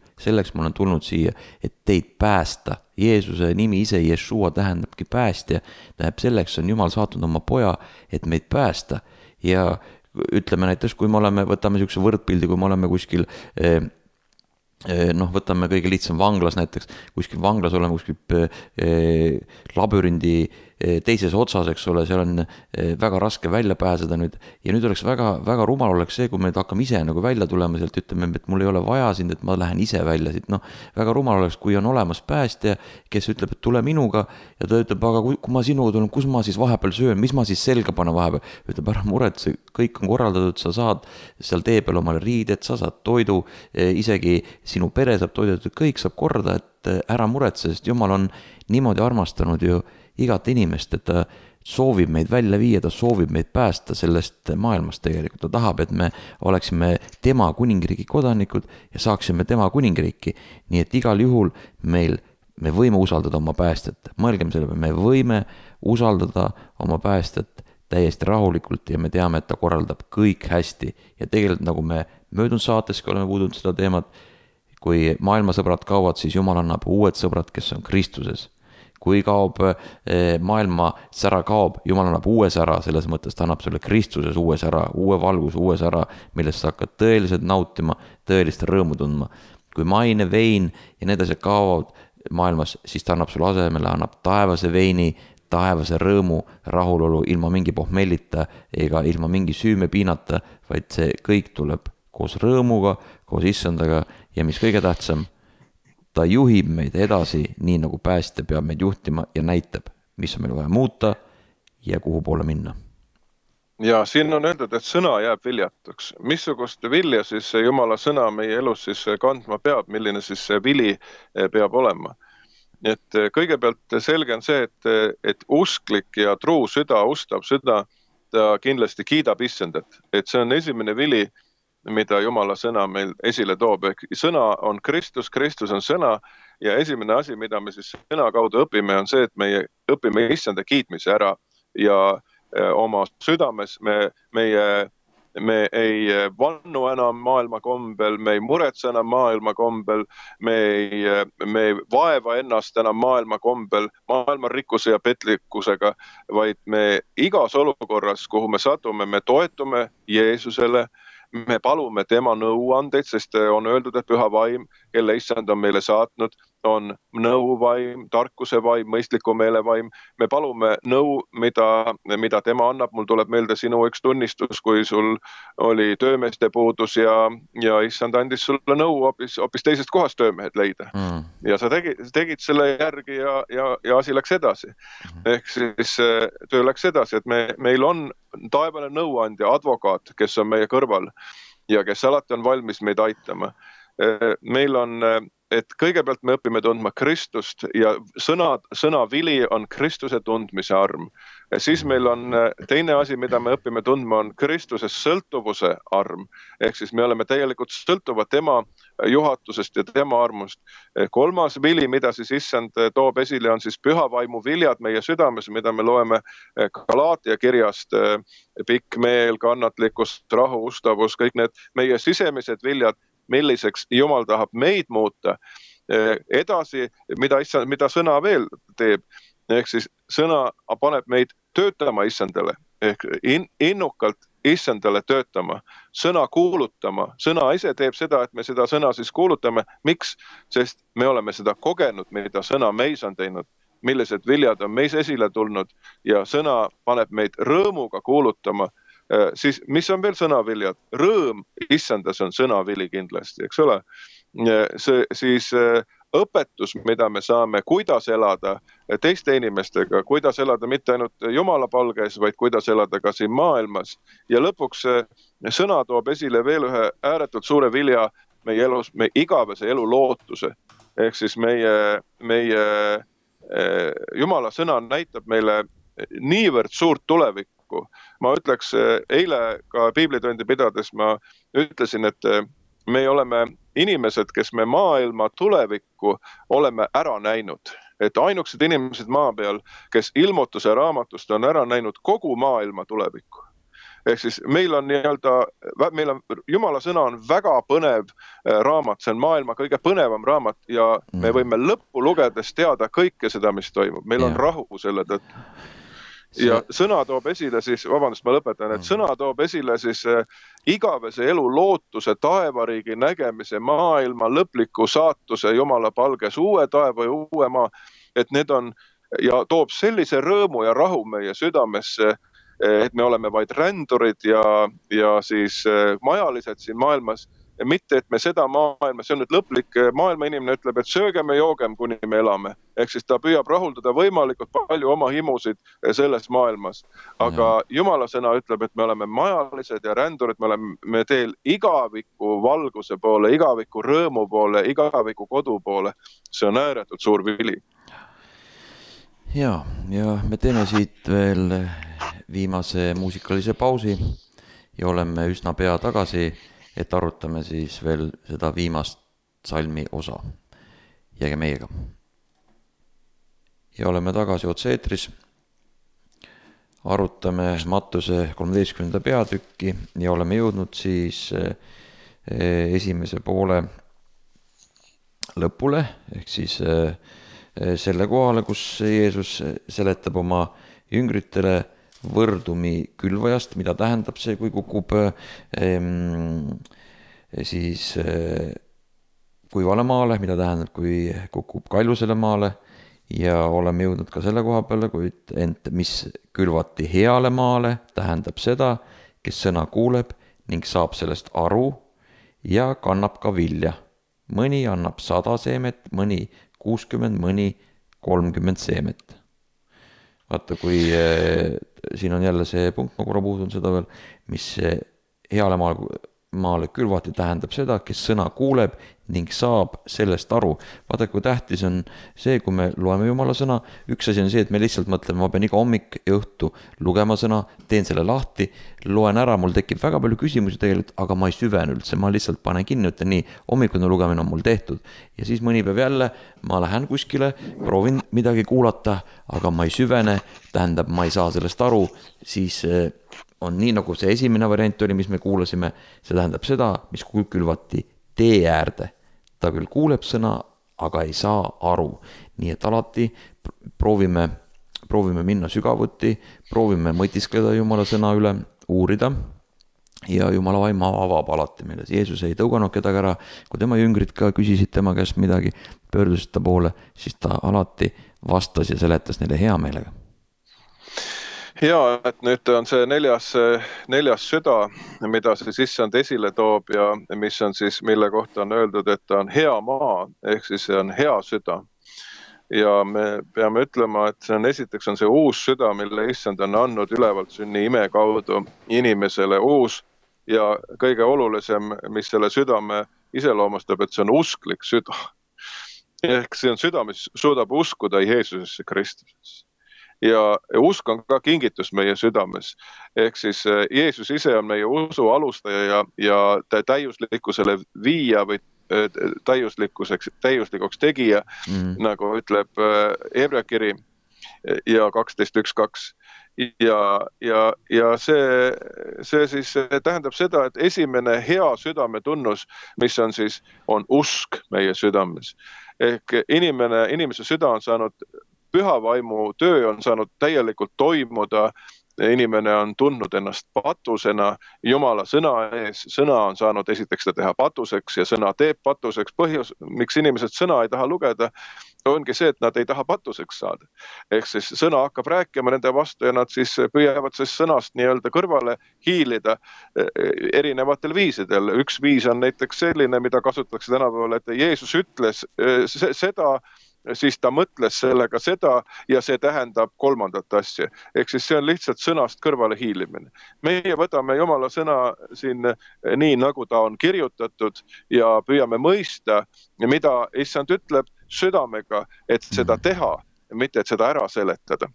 et teid päästa. Jeesuse nimi ise, Jeshua, tähendabki päästja. Tähendab, selleks on Jumal saatnud oma poja, et meid päästa. Ja ütleme näiteks, kui me oleme, võtame niisuguse võrdpildi, kui me oleme kuskil võtame kõige lihtsam vanglas näiteks, kuskil vanglas oleme kuskil labürindi teises otsas, eks ole, seal on väga raske välja pääseda nüüd, ja nüüd oleks väga rumal oleks see, kui me hakkame ise nagu välja tulema sealt, ütleme, et mul ei ole vaja sind, et ma lähen ise välja siit, väga rumal oleks, kui on olemas päästja, kes ütleb, et tule minuga, ja ta ütleb, aga kui ma sinuga tulen, kus ma siis vahepeal söön, mis ma siis selga panen vahepeal, ütleb, ära muret, kõik on korraldatud, sa saad seal tee peal omale riided, sa saad toidu, isegi sinu pere saab toidetud, kõik saab korda, et ära muretse, sest Jumal on niimoodi armastanud ju igat inimest, et ta soovib meid välja viia, ta soovib meid päästa sellest maailmast tegelikult. Ta tahab, et me oleksime tema kuningriigi kodanikud ja saaksime tema kuningriiki. Nii et igal juhul me võime usaldada oma päästet. Mõelgem selle peale, me võime usaldada oma päästet täiesti rahulikult ja me teame, et ta korraldab kõik hästi. Ja tegelikult nagu me möödunud saateski oleme puudunud seda teemat, kui maailmasõbrad kaovad, siis Jumal annab uued sõbrad, kes on Kristuses. Kui kaob maailma sära kaob, Jumal annab uue sära, selles mõttes ta annab sulle Kristuses uue sära, uue valgus, uue sära, millest sa hakkad tõeliselt nautima, tõelist rõõmu tundma. Kui maine, vein ja need asjad kaovad maailmas, siis ta annab sulle asemele, annab taevase veini, taevase rõõmu, rahulolu ilma mingi pohmellita ega ilma mingi süümepiinata, vaid see kõik tuleb koos rõõmuga, koos issandaga ja mis kõige tähtsam, ta juhib meid edasi nii nagu päästja peab meid juhtima ja näitab, mis on meil vaja muuta ja kuhu poole minna. Ja siin on öeldud, et sõna jääb viljatuks. Missugust vilja siis Jumala sõna meie elus siis kandma peab, milline siis see vili peab olema. Et kõigepealt selge on see, et usklik ja truu süda, ustav süda, ta kindlasti kiidab issandat. Et see on esimene vili, mida Jumala sõna meil esile toob. Sõna on Kristus, Kristus on sõna ja esimene asi, mida me siis sõna kaudu õpime, on see, et me õpime issanda kiitmise ära ja oma südames me ei vannu enam maailma kombel, me ei muretse enam maailma kombel, me ei vaeva ennast enam maailma kombel, maailma rikkuse ja petlikkusega, vaid me igas olukorras, kuhu me satume, me toetume Jeesusele, me palume tema nõuandeid, sest on öeldud, et püha vaim, kelle issand on meile saatnud, on nõuvaim, tarkuse vaim, mõistliku meele vaim. Me palume nõu, mida tema annab. Mul tuleb meelde sinu üks tunnistus, kui sul oli töömeeste puudus ja issand andis sulle nõu hoopis teisest kohast töömehed leida. Ja sa tegid selle järgi ja asi läks edasi. Ehk siis töö läks edasi, et meil on taevane nõuandja, advokaat, kes on meie kõrval ja kes alati on valmis meid aitama. Meil on, et kõigepealt me õpime tundma Kristust ja sõna vili on Kristuse tundmise arm. Siis meil on teine asi, mida me õpime tundma, on Kristuse sõltuvuse arm. Ehk siis me oleme täielikult sõltuvad tema juhatusest ja tema armust. Kolmas vili, mida siis issand toob esile, on siis püha vaimu viljad meie südames, mida me loeme Galaatia kirjast, pikk meel, kannatlikkus, rahu, ustavus, kõik need meie sisemised viljad, milliseks Jumal tahab meid muuta. Edasi, mida sõna veel teeb, ehk siis sõna paneb meid töötama issandale, ehk innukalt issandale töötama, sõna kuulutama. Sõna ise teeb seda, et me seda sõna siis kuulutame. Miks? Sest me oleme seda kogenud, mida sõna meis on teinud, millised viljad on meis esile tulnud ja sõna paneb meid rõõmuga kuulutama. Siis mis on veel sõnaviljad? Rõõm issandas on sõnavili kindlasti, eks ole? Siis õpetus, mida me saame, kuidas elada teiste inimestega, kuidas elada mitte ainult Jumala palges, vaid kuidas elada ka siin maailmas. Ja lõpuks sõna toob esile veel ühe ääretult suure vilja meie elus, meie igavese elu lootuse. Ehk siis meie Jumala sõna näitab meile niivõrd suurt tulevikku, tulevikku. Ma ütleks, eile ka piiblitundi pidades ma ütlesin, et me oleme inimesed, kes me maailma tulevikku oleme ära näinud. Et ainukesed inimesed maa peal, kes ilmutuse raamatust on ära näinud kogu maailma tulevikku. Ehk siis meil on Jumala sõna on väga põnev raamat, see on maailma kõige põnevam raamat ja me võime lõppu lugedes teada kõike seda, mis toimub. Meil on rahu selle tõttu. Ja sõna toob esile siis, vabandust, ma lõpetan, et sõna toob esile siis igavese elu lootuse, taevariigi nägemise, maailma lõpliku saatuse Jumala palges, uue taeva ja uue maa, et need on ja toob sellise rõõmu ja rahu meie südamesse, et me oleme vaid rändurid ja siis majalised siin maailmas. Mitte, et me seda maailma, see on nüüd lõplik maailma inimene ütleb, et söögem ja joogem, kuni me elame. Ehk siis ta püüab rahuldada võimalikult palju oma himusid selles maailmas. Aga Jumala sõna ütleb, et me oleme majalised ja rändurid, me oleme teel igaviku valguse poole, igaviku rõõmu poole, igaviku kodu poole. See on ääretult suur vili. Ja me teeme siit veel viimase muusikalise pausi ja oleme üsna pea tagasi, et arutame siis veel seda viimast salmi osa. Jääge meiega. Ja oleme tagasi otse-eetris. Arutame Mattuse 13. peatükki ja oleme jõudnud siis esimese poole lõpule, ehk siis selle kohale, kus Jeesus seletab oma jüngritele võrdumi külvajast, mida tähendab see, kui kukub siis kuivale maale, mida tähendab, kui kukub kallusele maale ja oleme jõudnud ka selle koha peale, kuid ent mis külvati heale maale, tähendab seda, kes sõna kuuleb ning saab sellest aru ja kannab ka vilja. Mõni annab 100 seemet, mõni 60, mõni 30 seemet. Vaata, kui siin on jälle see punkt, ma korra puudun seda veel, mis heale maale külvati tähendab seda, kes sõna kuuleb ning saab sellest aru. Vaata, kui tähtis on see, kui me loeme Jumala sõna, üks asi on see, et me lihtsalt mõtleme, ma pean iga hommik ja õhtu lugema sõna, teen selle lahti, loen ära, mul tekib väga palju küsimusi tegelikult, aga ma ei süvene üldse, ma lihtsalt panen kinni, ütlen nii, hommikune lugemine on mul tehtud. Ja siis mõni päev jälle, ma lähen kuskile, proovin midagi kuulata, aga ma ei süvene, tähendab, ma ei saa sellest aru, siis on nii, nagu see esimene variant oli, mis me kuulasime, see tähendab seda, mis külvati tee äärde. Ta küll kuuleb sõna, aga ei saa aru. Nii et alati proovime minna sügavuti, proovime mõtiskleda Jumala sõna üle, uurida ja Jumala vaim avab alati meile. Jeesus ei tõuganud kedagi ära, kui tema jüngrid ka küsisid tema käest midagi, pöördusid ta poole, siis ta alati vastas ja seletas neile hea meelega. Ja, et nüüd on see neljas süda, mida see issand esile toob ja mis on siis, mille kohta on öeldud, et ta on hea maa, ehk siis see on hea süda. Ja me peame ütlema, et see on esiteks on see uus süda, mille issand on andnud ülevalt sünni ime kaudu inimesele uus ja kõige olulisem, mis selle südame iseloomustab, et see on usklik süda. Ehk see on süda, mis suudab uskuda Jeesusesse Kristusesse. Ja usk on ka kingitus meie südames. Ehk siis Jeesus ise on meie usu alustaja ja täiuslikkusele viia või täiuslikuks tegija, nagu ütleb Hebra kiri ja 12.1.2. Ja see siis tähendab seda, et esimene hea südame tunnus, mis on siis, on usk meie südames. Ehk inimese süda on saanud pühavaimu töö on saanud täielikult toimuda, inimene on tundnud ennast patusena Jumala sõna ees, sõna on saanud esiteks ta teha patuseks ja sõna teeb patuseks. Põhjus, miks inimesed sõna ei taha lugeda, ongi see, et nad ei taha patuseks saada. Ehk siis sõna hakkab rääkima nende vastu ja nad siis püüavad siis sõnast nii-öelda kõrvale hiilida erinevatel viisidel. Üks viis on näiteks selline, mida kasutatakse tänapäeval, et Jeesus ütles seda, siis ta mõtles sellega seda ja see tähendab kolmandat asja. Ehk siis see on lihtsalt sõnast kõrvale hiilimine. Meie võtame Jumala sõna siin nii, nagu ta on kirjutatud ja püüame mõista, mida issand ütleb südamega, et seda teha. mitte et seda ära seletada.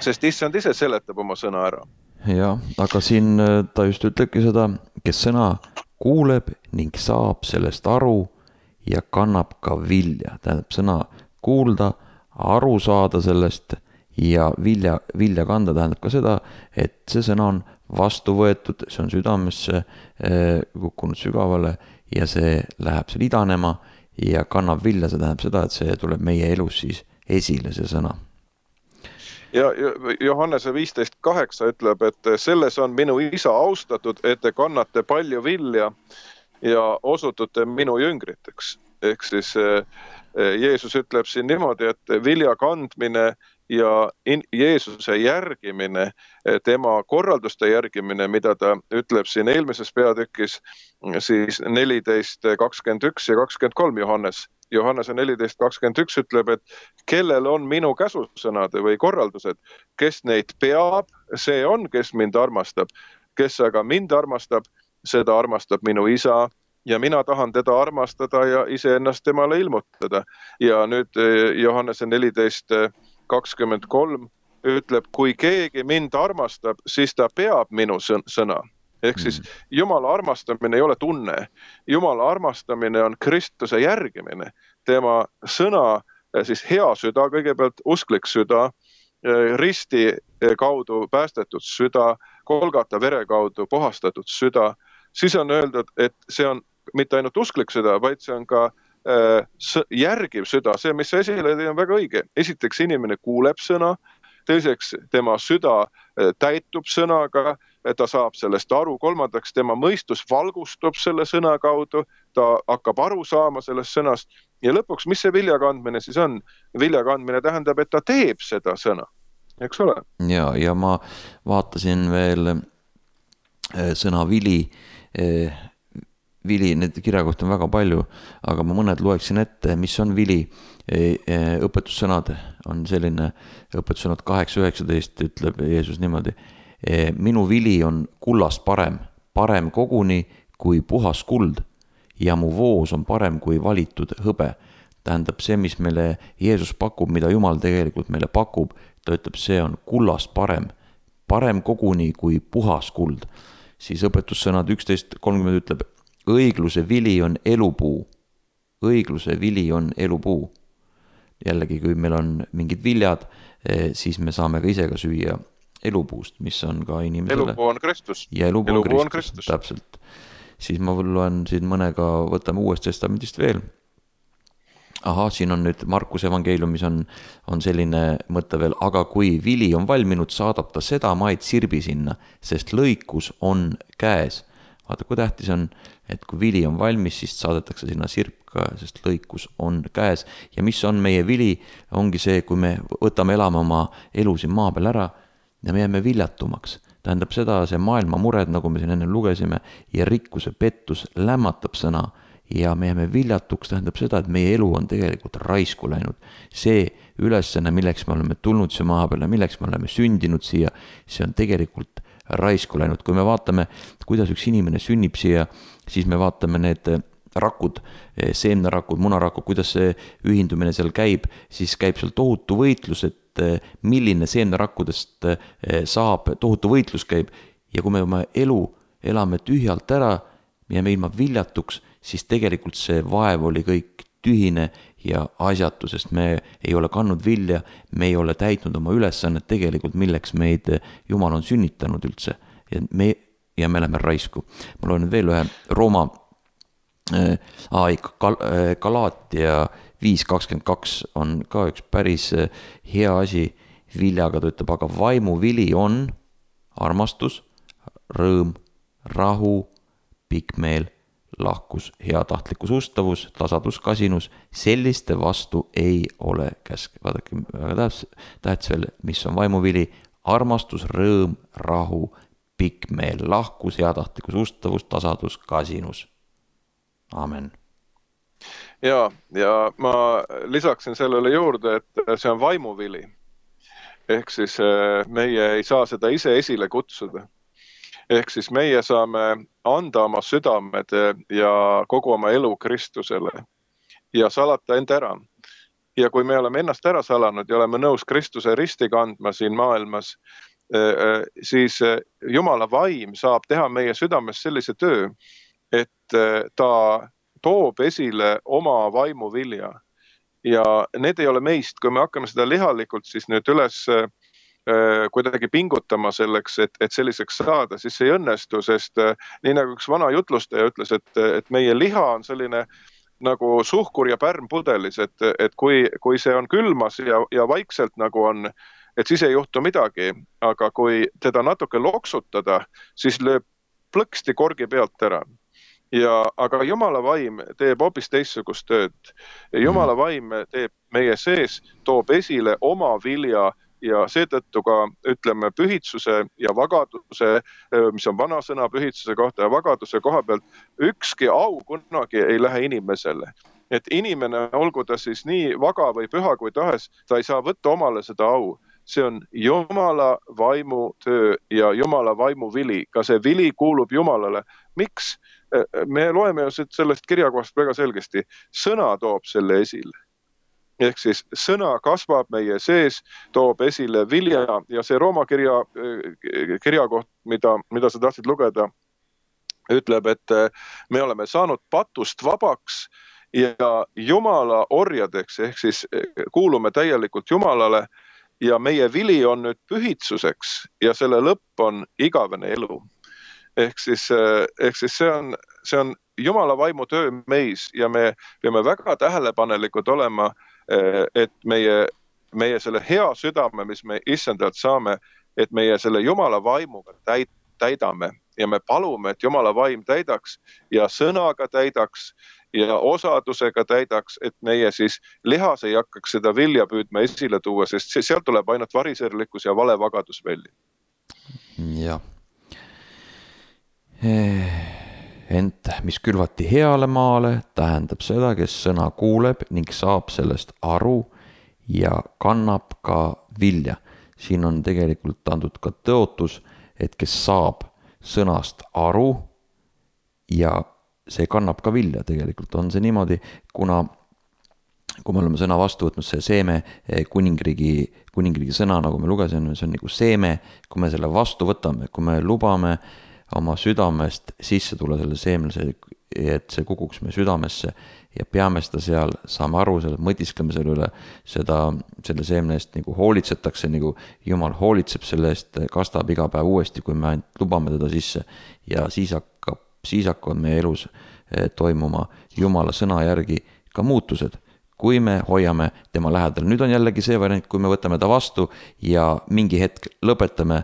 Sest issand ise seletab oma sõna ära. Ja, aga siin ta just ütlebki seda, kes sõna kuuleb ning saab sellest aru ja kannab ka vilja. Tähendab sõna kuulda, aru saada sellest ja vilja kanda tähendab ka seda, et see sõna on vastu võetud, see on südamesse kukkunud sügavale ja see läheb seal idanema ja kannab vilja, see tähendab seda, et see tuleb meie elus siis esile, see sõna. Ja Johannese 15:8 ütleb, et selles on minu isa austatud, et te kannate palju vilja ja osutute minu jüngriteks. Ehk siis Jeesus ütleb siin niimoodi, et vilja kandmine ja Jeesuse järgimine, tema korralduste järgimine, mida ta ütleb siin eelmises peatükis, siis 14:21 ja 23 Johannese 14:21 ütleb, et kellel on minu käsusõnad või korraldused, kes neid peab, see on, kes mind armastab. Kes aga mind armastab, seda armastab minu isa ja mina tahan teda armastada ja iseennast temale ilmutada. Ja nüüd Johannese 14:23 ütleb, kui keegi mind armastab, siis ta peab minu sõna. Ehk siis Jumala armastamine ei ole tunne. Jumala armastamine on Kristuse järgimine. Tema sõna, siis hea süda, kõigepealt usklik süda, risti kaudu päästetud süda, Golgata vere kaudu puhastatud süda. Siis on öeldud, et see on mitte ainult usklik süda, vaid see on ka järgiv süda. See, mis esile tõi, on väga õige. Esiteks inimene kuuleb sõna, teiseks tema süda täitub sõnaga, ta saab sellest aru, kolmandaks tema mõistus valgustub selle sõna kaudu, ta hakkab aru saama sellest sõnast ja lõpuks, mis see viljakandmine siis on? Viljakandmine tähendab, et ta teeb seda sõna, eks ole? Ja ma vaatasin veel sõna vili, need kirjakohti on väga palju, aga ma mõned loeksin ette, mis on vili. Õpetussõnad on selline, õpetussõnad 8:19 ütleb Jeesus niimoodi. Minu vili on kullast parem koguni kui puhas kuld ja mu voos on parem kui valitud hõbe. Tähendab see, mis meile Jeesus pakub, mida Jumal tegelikult meile pakub, ta ütleb, see on kullast parem koguni kui puhas kuld. Siis õpetussõnad 11:30 ütleb, õigluse vili on elupuu. Õigluse vili on elupuu. Jällegi, kui meil on mingid viljad, siis me saame ka ise ka süüa elupuust, mis on ka inimesele. Elupuu on Kristus. Ja elupuu on Kristus, täpselt. Siis ma loen siin mõnega, võtame Uuest Testamendist veel. Siin on nüüd Markuse evangeeliumis on selline mõte veel, aga kui vili on valminud, saadab ta seda maid sirbi sinna, sest lõikus on käes. Vaata, kui tähtis on, et kui vili on valmis, siis saadetakse sinna sirp ka, sest lõikus on käes. Ja mis on meie vili, ongi see, kui me võtame elama oma elu siin maa peal ära ja me jääme viljatumaks. Tähendab seda, see maailma mured, nagu me siin enne lugesime, ja rikkuse pettus lämmatab sõna ja me jääme viljatuks, tähendab seda, et meie elu on tegelikult raisku läinud. See ülesanne, milleks me oleme tulnud siia maa peale, milleks me oleme sündinud siia, see on tegelikult raisku läinud. Kui me vaatame, kuidas üks inimene sünnib siia, siis me vaatame need rakud, seemnerakud, munarakud, kuidas see ühindumine seal käib, siis käib seal tohutu võitlus, et milline seemnerakkudest saab, tohutu võitlus käib. Ja kui me oma elu elame tühjalt ära, me jääme ilma viljatuks, siis tegelikult see vaev oli kõik tühine ja asjatu, sest me ei ole kandnud vilja, me ei ole täitnud oma ülesannet tegelikult, milleks meid Jumal on sünnitanud üldse. Ja me oleme raisku. Ma loen veel ühe Rooma Galaatia 5:22 on ka üks päris hea asi viljaga, ta ütleb, aga vaimu vili on armastus, rõõm, rahu, pikkmeel, lahkus, heatahtlikkus, ustavus, tasadus, kasinus, selliste vastu ei ole käsk. Vaadake, väga tähtis veel, mis on vaimuvili, armastus, rõõm, rahu, pikkmeel, lahkus, heatahtlikkus, ustavus, tasadus, kasinus. Amen. Ja ma lisaksin sellele juurde, et see on vaimuvili. Ehk siis meie ei saa seda ise esile kutsuda. Ehk siis meie saame anda oma südamed ja kogu oma elu Kristusele ja salata end ära. Ja kui me oleme ennast ära salanud ja oleme nõus Kristuse risti kandma siin maailmas, siis Jumala vaim saab teha meie südames sellise töö, et ta toob esile oma vaimu vilja. Ja need ei ole meist, kui me hakkame seda lihalikult siis nüüd üles kuidagi pingutama selleks, et selliseks saada, siis see ei õnnestu, sest nii nagu üks vana jutlustaja ütles, et meie liha on selline nagu suhkur ja pärm pudelis, et kui see on külmas ja vaikselt nagu on, et siis ei juhtu midagi, aga kui teda natuke loksutada, siis lööb plõksti korgi pealt ära. Aga Jumala vaim teeb hoopis teistsugust tööd. Jumala vaim teeb meie sees, toob esile oma vilja ja seetõttu ka ütleme pühitsuse ja vagaduse, mis on vana sõna pühitsuse kohta ja vagaduse koha pealt, ükski au kunagi ei lähe inimesele. Et inimene, olgu ta siis nii vaga või püha kui tahes, ta ei saa võtta omale seda au. See on Jumala vaimu töö ja Jumala vaimu vili. Ka see vili kuulub Jumalale. Miks? Me loeme ju sellest kirjakohast väga selgesti. Sõna toob selle esile. Ehk siis sõna kasvab meie sees, toob esile vilja ja see Rooma kirjakoht, mida sa tahtsid lugeda, ütleb, et me oleme saanud patust vabaks ja Jumala orjadeks, ehk siis kuulume täielikult Jumalale ja meie vili on nüüd pühitsuseks ja selle lõpp on igavene elu. Ehk siis see on Jumala vaimu töö meis ja me peame väga tähelepanelikud olema, et meie selle hea südame, mis me issandalt saame, et meie selle Jumala vaimuga täidame ja me palume, et Jumala vaim täidaks ja sõnaga täidaks ja osadusega täidaks, et meie siis lihas ei hakkaks seda vilja püüdma esile tuua, sest sealt tuleb ainult variserlikkus ja valevagadus välja. Jah. Ent mis külvati heale maale, tähendab seda, kes sõna kuuleb ning saab sellest aru ja kannab ka vilja. Siin on tegelikult antud ka tõotus, et kes saab sõnast aru ja see kannab ka vilja. Tegelikult on see niimoodi, kuna kui me oleme sõna vastu võtnud, see seeme kuningriigi sõna, nagu me lugesime, see on nagu seeme, kui me selle vastu võtame, kui me lubame oma südamest sisse tulla selle seemlase, et see kukuks meie südamesse ja peame seda seal, saame aru, mõtiskleme selle üle, selle seemne eest nagu hoolitsetakse, nagu Jumal hoolitseb selle eest, kastab iga päev uuesti, kui me ainult lubame teda sisse ja siis hakkavad meie elus toimuma Jumala sõna järgi ka muutused, kui me hoiame tema lähedal. Nüüd on jällegi see variant, kui me võtame ta vastu ja mingi hetk lõpetame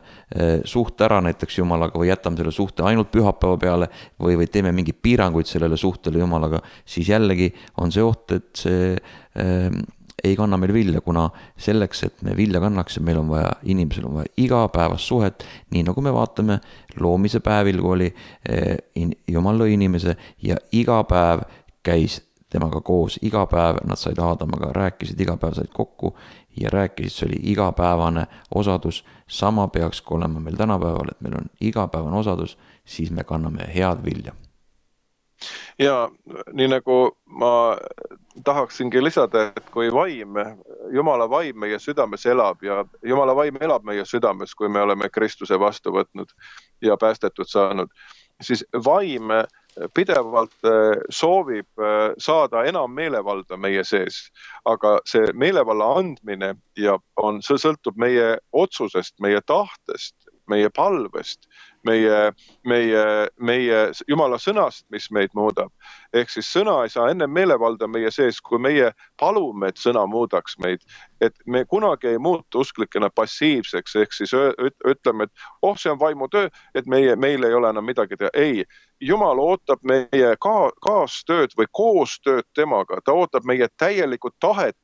suhte ära näiteks Jumalaga või jätame selle suhte ainult pühapäeva peale või teeme mingi piiranguid sellele suhtele Jumalaga, siis jällegi on see oht, et see ei kanna meil vilja, kuna selleks, et me vilja kannaks, meil on vaja, inimesel on vaja igapäevast suhet, nii nagu me vaatame loomise päevil, kui oli Jumal lõi inimese ja iga päev käis temaga koos, iga päev nad said Aadamaga, rääkisid, iga päev said kokku ja rääkisid, see oli igapäevane osadus, sama peaks olema meil tänapäeval, et meil on igapäevane osadus, siis me kanname head vilja. Ja nii nagu ma tahaksingi lisada, et kui Jumala vaim meie südames elab ja Jumala vaim elab meie südames, kui me oleme Kristuse vastu võtnud ja päästetud saanud, siis vaim pidevalt soovib saada enam meelevalda meie sees, aga see meelevalla andmine see sõltub meie otsusest, meie tahtest, meie palvest, meie Jumala sõnast, mis meid muudab. Ehk siis sõna ei saa enne meelevalda meie sees, kui meie palume, et sõna muudaks meid. Et me kunagi ei muutu usklikena passiivseks, ehk siis ütleme, et see on vaimu töö, et meil ei ole enam midagi teha. Ei, Jumal ootab meie kaastööd või koostööd temaga. Ta ootab meie täielikku tahet.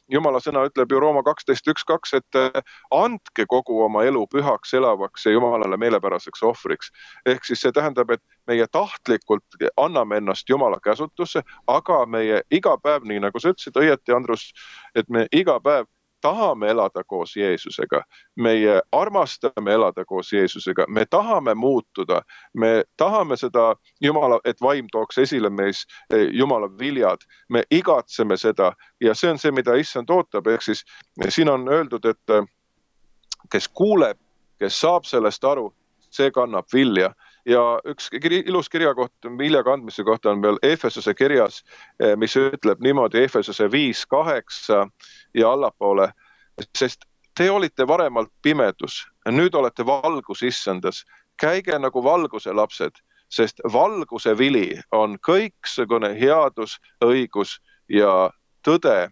Jumala sõna ütleb ju Rooma 12.1.2, et andke kogu oma elu pühaks, elavaks ja Jumalale meelepäraseks ohvriks. Ehk siis see tähendab, et meie tahtlikult anname ennast Jumala käsutusse, aga meie iga päev, nii nagu sa ütlesid õieti, Andrus, et me iga päev tahame elada koos Jeesusega, meie armastame elada koos Jeesusega, me tahame muutuda, me tahame seda Jumala, et vaim tooks esile meis Jumala viljad, me igatseme seda ja see on see, mida Issand ootab, ehk siis siin on öeldud, et kes kuuleb, kes saab sellest aru, see kannab vilja. Ja üks ilus kirjakoht vilja kandmise kohta on veel Efesose kirjas, mis ütleb niimoodi Efesose 5:8 ja allapoole, sest te olite varemalt pimedus, nüüd olete valgus Issandas. Käige nagu valguse lapsed, sest valguse vili on kõiksugune headus, õigus ja tõde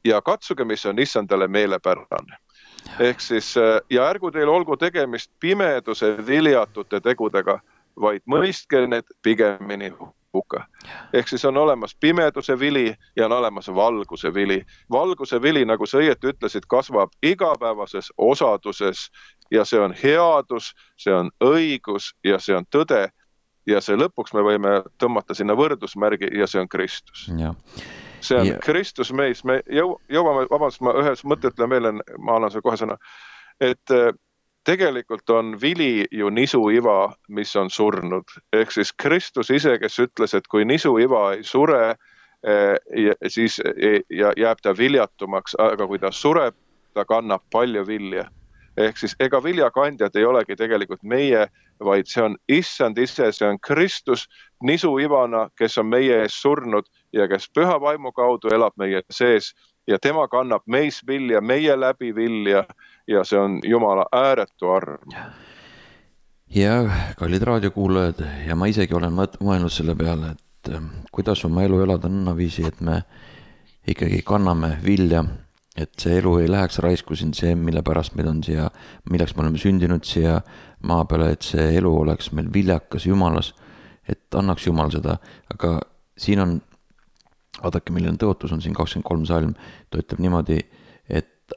ja katsuge, mis on Issandale meelepärane. Ehk siis, ja ärgu teil olgu tegemist pimeduse viljatute tegudega, vaid mõistke need pigemini hukka. Ehk siis on olemas pimeduse vili ja on olemas valguse vili. Valguse vili, nagu sa õieti ütlesid, kasvab igapäevases osaduses ja see on headus, see on õigus ja see on tõde ja see lõpuks me võime tõmmata sinna võrdusmärgi ja see on Kristus. See on Kristus meis, me jõuame, vabandust, ma ühes mõtte ütlen veel, ma annan see kohe sõna, et tegelikult on vili ju nisuiva, mis on surnud. Ehk siis Kristus ise, kes ütles, et kui nisuiva ei sure, siis jääb ta viljatumaks, aga kui ta sureb, ta kannab palju vilja. Ehk siis ega viljakandjad ei olegi tegelikult meie, vaid see on Issand ise, see on Kristus nisuivana, kes on meie ees surnud ja kes püha vaimu kaudu elab meie sees ja tema kannab meis vilja, meie läbi vilja ja see on Jumala ääretu arm. Ja kallid raadiokuulajad ja ma isegi olen mõelnud selle peale, et kuidas oma elu elada nõnnaviisi, et me ikkagi kanname vilja, et see elu ei läheks raisku siin see, mille pärast meil on siia, milleks me oleme sündinud siia maa peale, et see elu oleks meil viljakas Jumalas, et annaks Jumal seda, aga siin on, vaadake, milline tõotus on siin 23 salm, ta ütleb niimoodi, et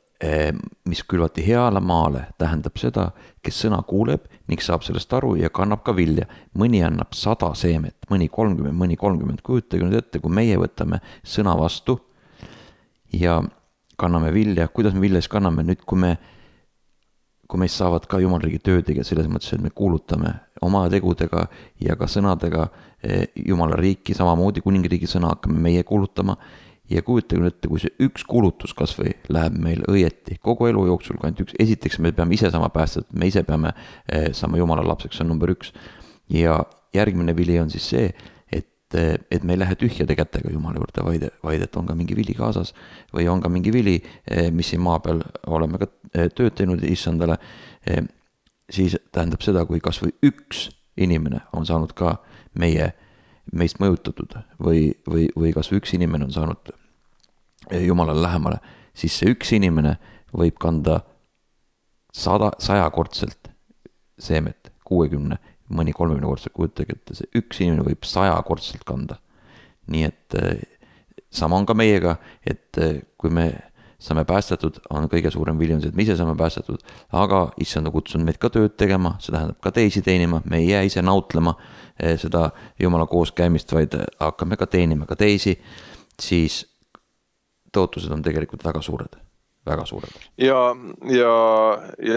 mis külvati heale maale, tähendab seda, kes sõna kuuleb ning saab sellest aru ja kannab ka vilja. Mõni annab 100 seemet, mõni 30, mõni 30, kujutage nüüd ette, kui meie võtame sõna vastu ja kanname vilja, kuidas me vilja siis kanname nüüd, kui meist saavad ka Jumalriigi töödega selles mõttes, et me kuulutame oma tegudega ja ka sõnadega Jumala riiki, samamoodi kuningriigi sõna hakkame meie kuulutama ja kujutage nüüd ette, kui see üks kuulutus kas või läheb meil õieti kogu elu jooksul, kui ainult üks, esiteks me peame ise sama päästet, me ise peame saama Jumala lapseks, see on number 1 ja järgmine vili on siis see, et me ei lähe tühjade kätega Jumala juurde, vaid et on ka mingi vili kaasas või on ka mingi vili, mis siin maa peal oleme ka tööd teinud Issandale, siis tähendab seda, kui kas või üks inimene on saanud ka meist mõjutatud või kas või üks inimene on saanud Jumalale lähemale, siis see üks inimene võib kanda 100-kordselt seemet, 60, mõni 30-kordselt, kujutage, et see üks inimene võib 100-kordselt kanda. Nii et sama on ka meiega, et kui me saame päästetud, on kõige suurem vili on see, et me ise saame päästetud, aga Issand on kutsunud meid ka tööd tegema, see tähendab ka teisi teenima, me ei jää ise nautlema seda Jumala koos käimist, vaid hakkame ka teenima ka teisi, siis tõotused on tegelikult väga suured. Väga suured. Ja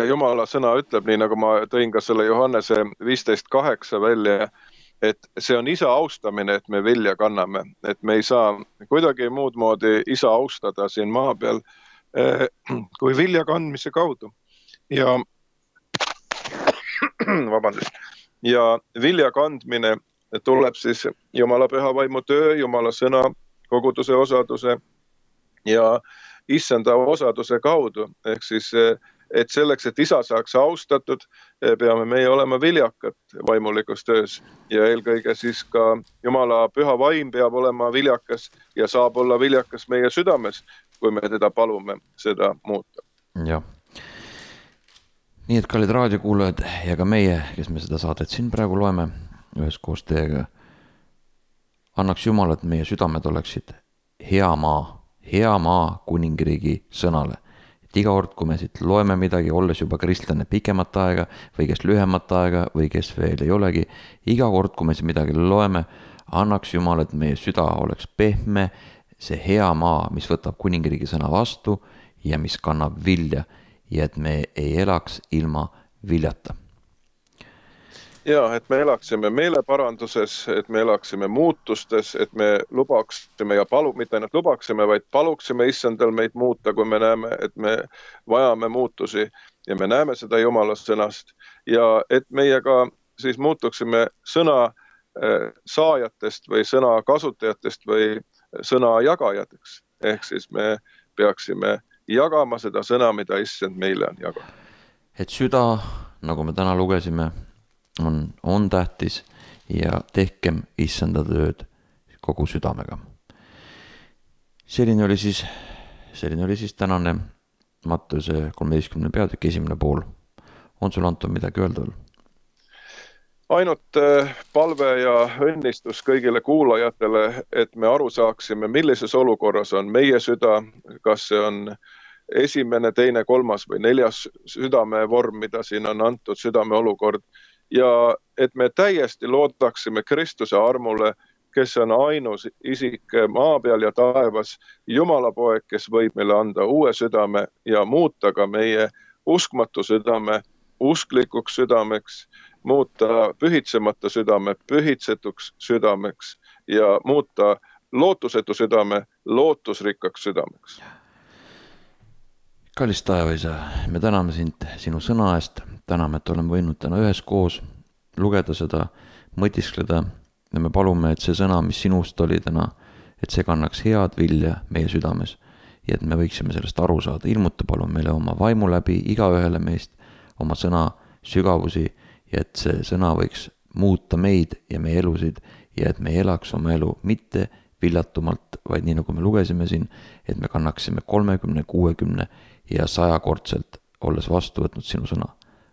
Jumala sõna ütleb, nii nagu ma tõin ka selle Johannese 15:8 välja, et see on isa austamine, et me vilja kanname, et me ei saa kuidagi muud moodi isa austada siin maa peal kui vilja kandmise kaudu. Ja vabandust. Ja vilja kandmine tuleb siis Jumala püha vaimu töö, Jumala sõna, koguduse osaduse ja Issanda osaduse kaudu, ehk siis, et selleks, et isa saaks austatud, peame meie olema viljakad vaimulikus töös ja eelkõige siis ka Jumala püha vaim peab olema viljakas ja saab olla viljakas meie südames, kui me teda palume seda muuta. Ja. Nii et kallid raadiokuulajad ja ka meie, kes me seda saadet siin praegu loeme üheskoos teiega, annaks Jumal, et meie südamed oleksid hea maa kuningriigi sõnale. Et iga kord, kui me siit loeme midagi, olles juba kristlane pikemat aega või kes lühemat aega või kes veel ei olegi, iga kord, kui me siit midagi loeme, annaks Jumal, et meie süda oleks pehme, see hea maa, mis võtab kuningriigi sõna vastu ja mis kannab vilja ja et me ei elaks ilma viljata. Ja, et me elaksime meeleparanduses, et me elaksime muutustes, et me lubaksime ja mitte ainult lubaksime, vaid paluksime issandal meid muuta, kui me näeme, et me vajame muutusi ja me näeme seda Jumala sõnast ja et meie ka siis muutuksime sõna saajatest või sõna kasutajatest või sõna jagajateks. Ehk siis me peaksime jagama seda sõna, mida issand meile on jaganud. Et süda, nagu me täna lugesime, on tähtis ja tehkem issanda tööd kogu südamega. Selline oli siis tänane Matteuse 13. peatükk 1. pool. On sul, Anton, midagi öelda veel? Ainult palve ja õnnistus kõigile kuulajatele, et me aru saaksime, millises olukorras on meie süda, kas see on esimene, teine, kolmas või neljas südamevorm, mida siin on antud, südame olukord, ja et me täiesti loodaksime Kristuse armule, kes on ainus isik maa peal ja taevas, Jumala poeg, kes võib meile anda uue südame ja muuta ka meie uskmatu südame usklikuks südameks, muuta pühitsemata südame pühitsetuks südameks ja muuta lootusetu südame lootusrikkaks südameks. Kallis taevaisa, me täname sind sinu sõna eest, täname, et oleme võinud täna üheskoos lugeda seda, mõtiskleda ja me palume, et see sõna, mis sinust oli täna, et see kannaks head vilja meie südames ja et me võiksime sellest aru saada. Ilmuta palun meile oma vaimu läbi igaühele meist oma sõna sügavusi ja et see sõna võiks muuta meid ja meie elusid ja et me ei elaks oma elu mitte viljatumalt, vaid nii nagu me lugesime siin, et me kannaksime 30, 60 ja 100-kordselt, olles vastu võtnud sinu sõna.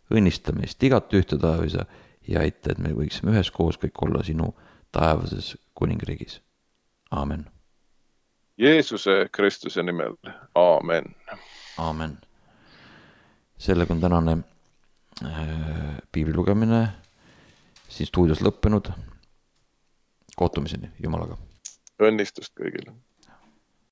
Õnnista meist igat ühte taevisa ja aita, et me võiksime üheskoos kõik olla sinu taevases kuningriigis. Aamen. Jeesuse Kristuse nimel. Aamen. Aamen. Sellega on tänane piibli lugemine siin stuudios lõppenud. Kohtumiseni Jumalaga. Õnnistust kõigile.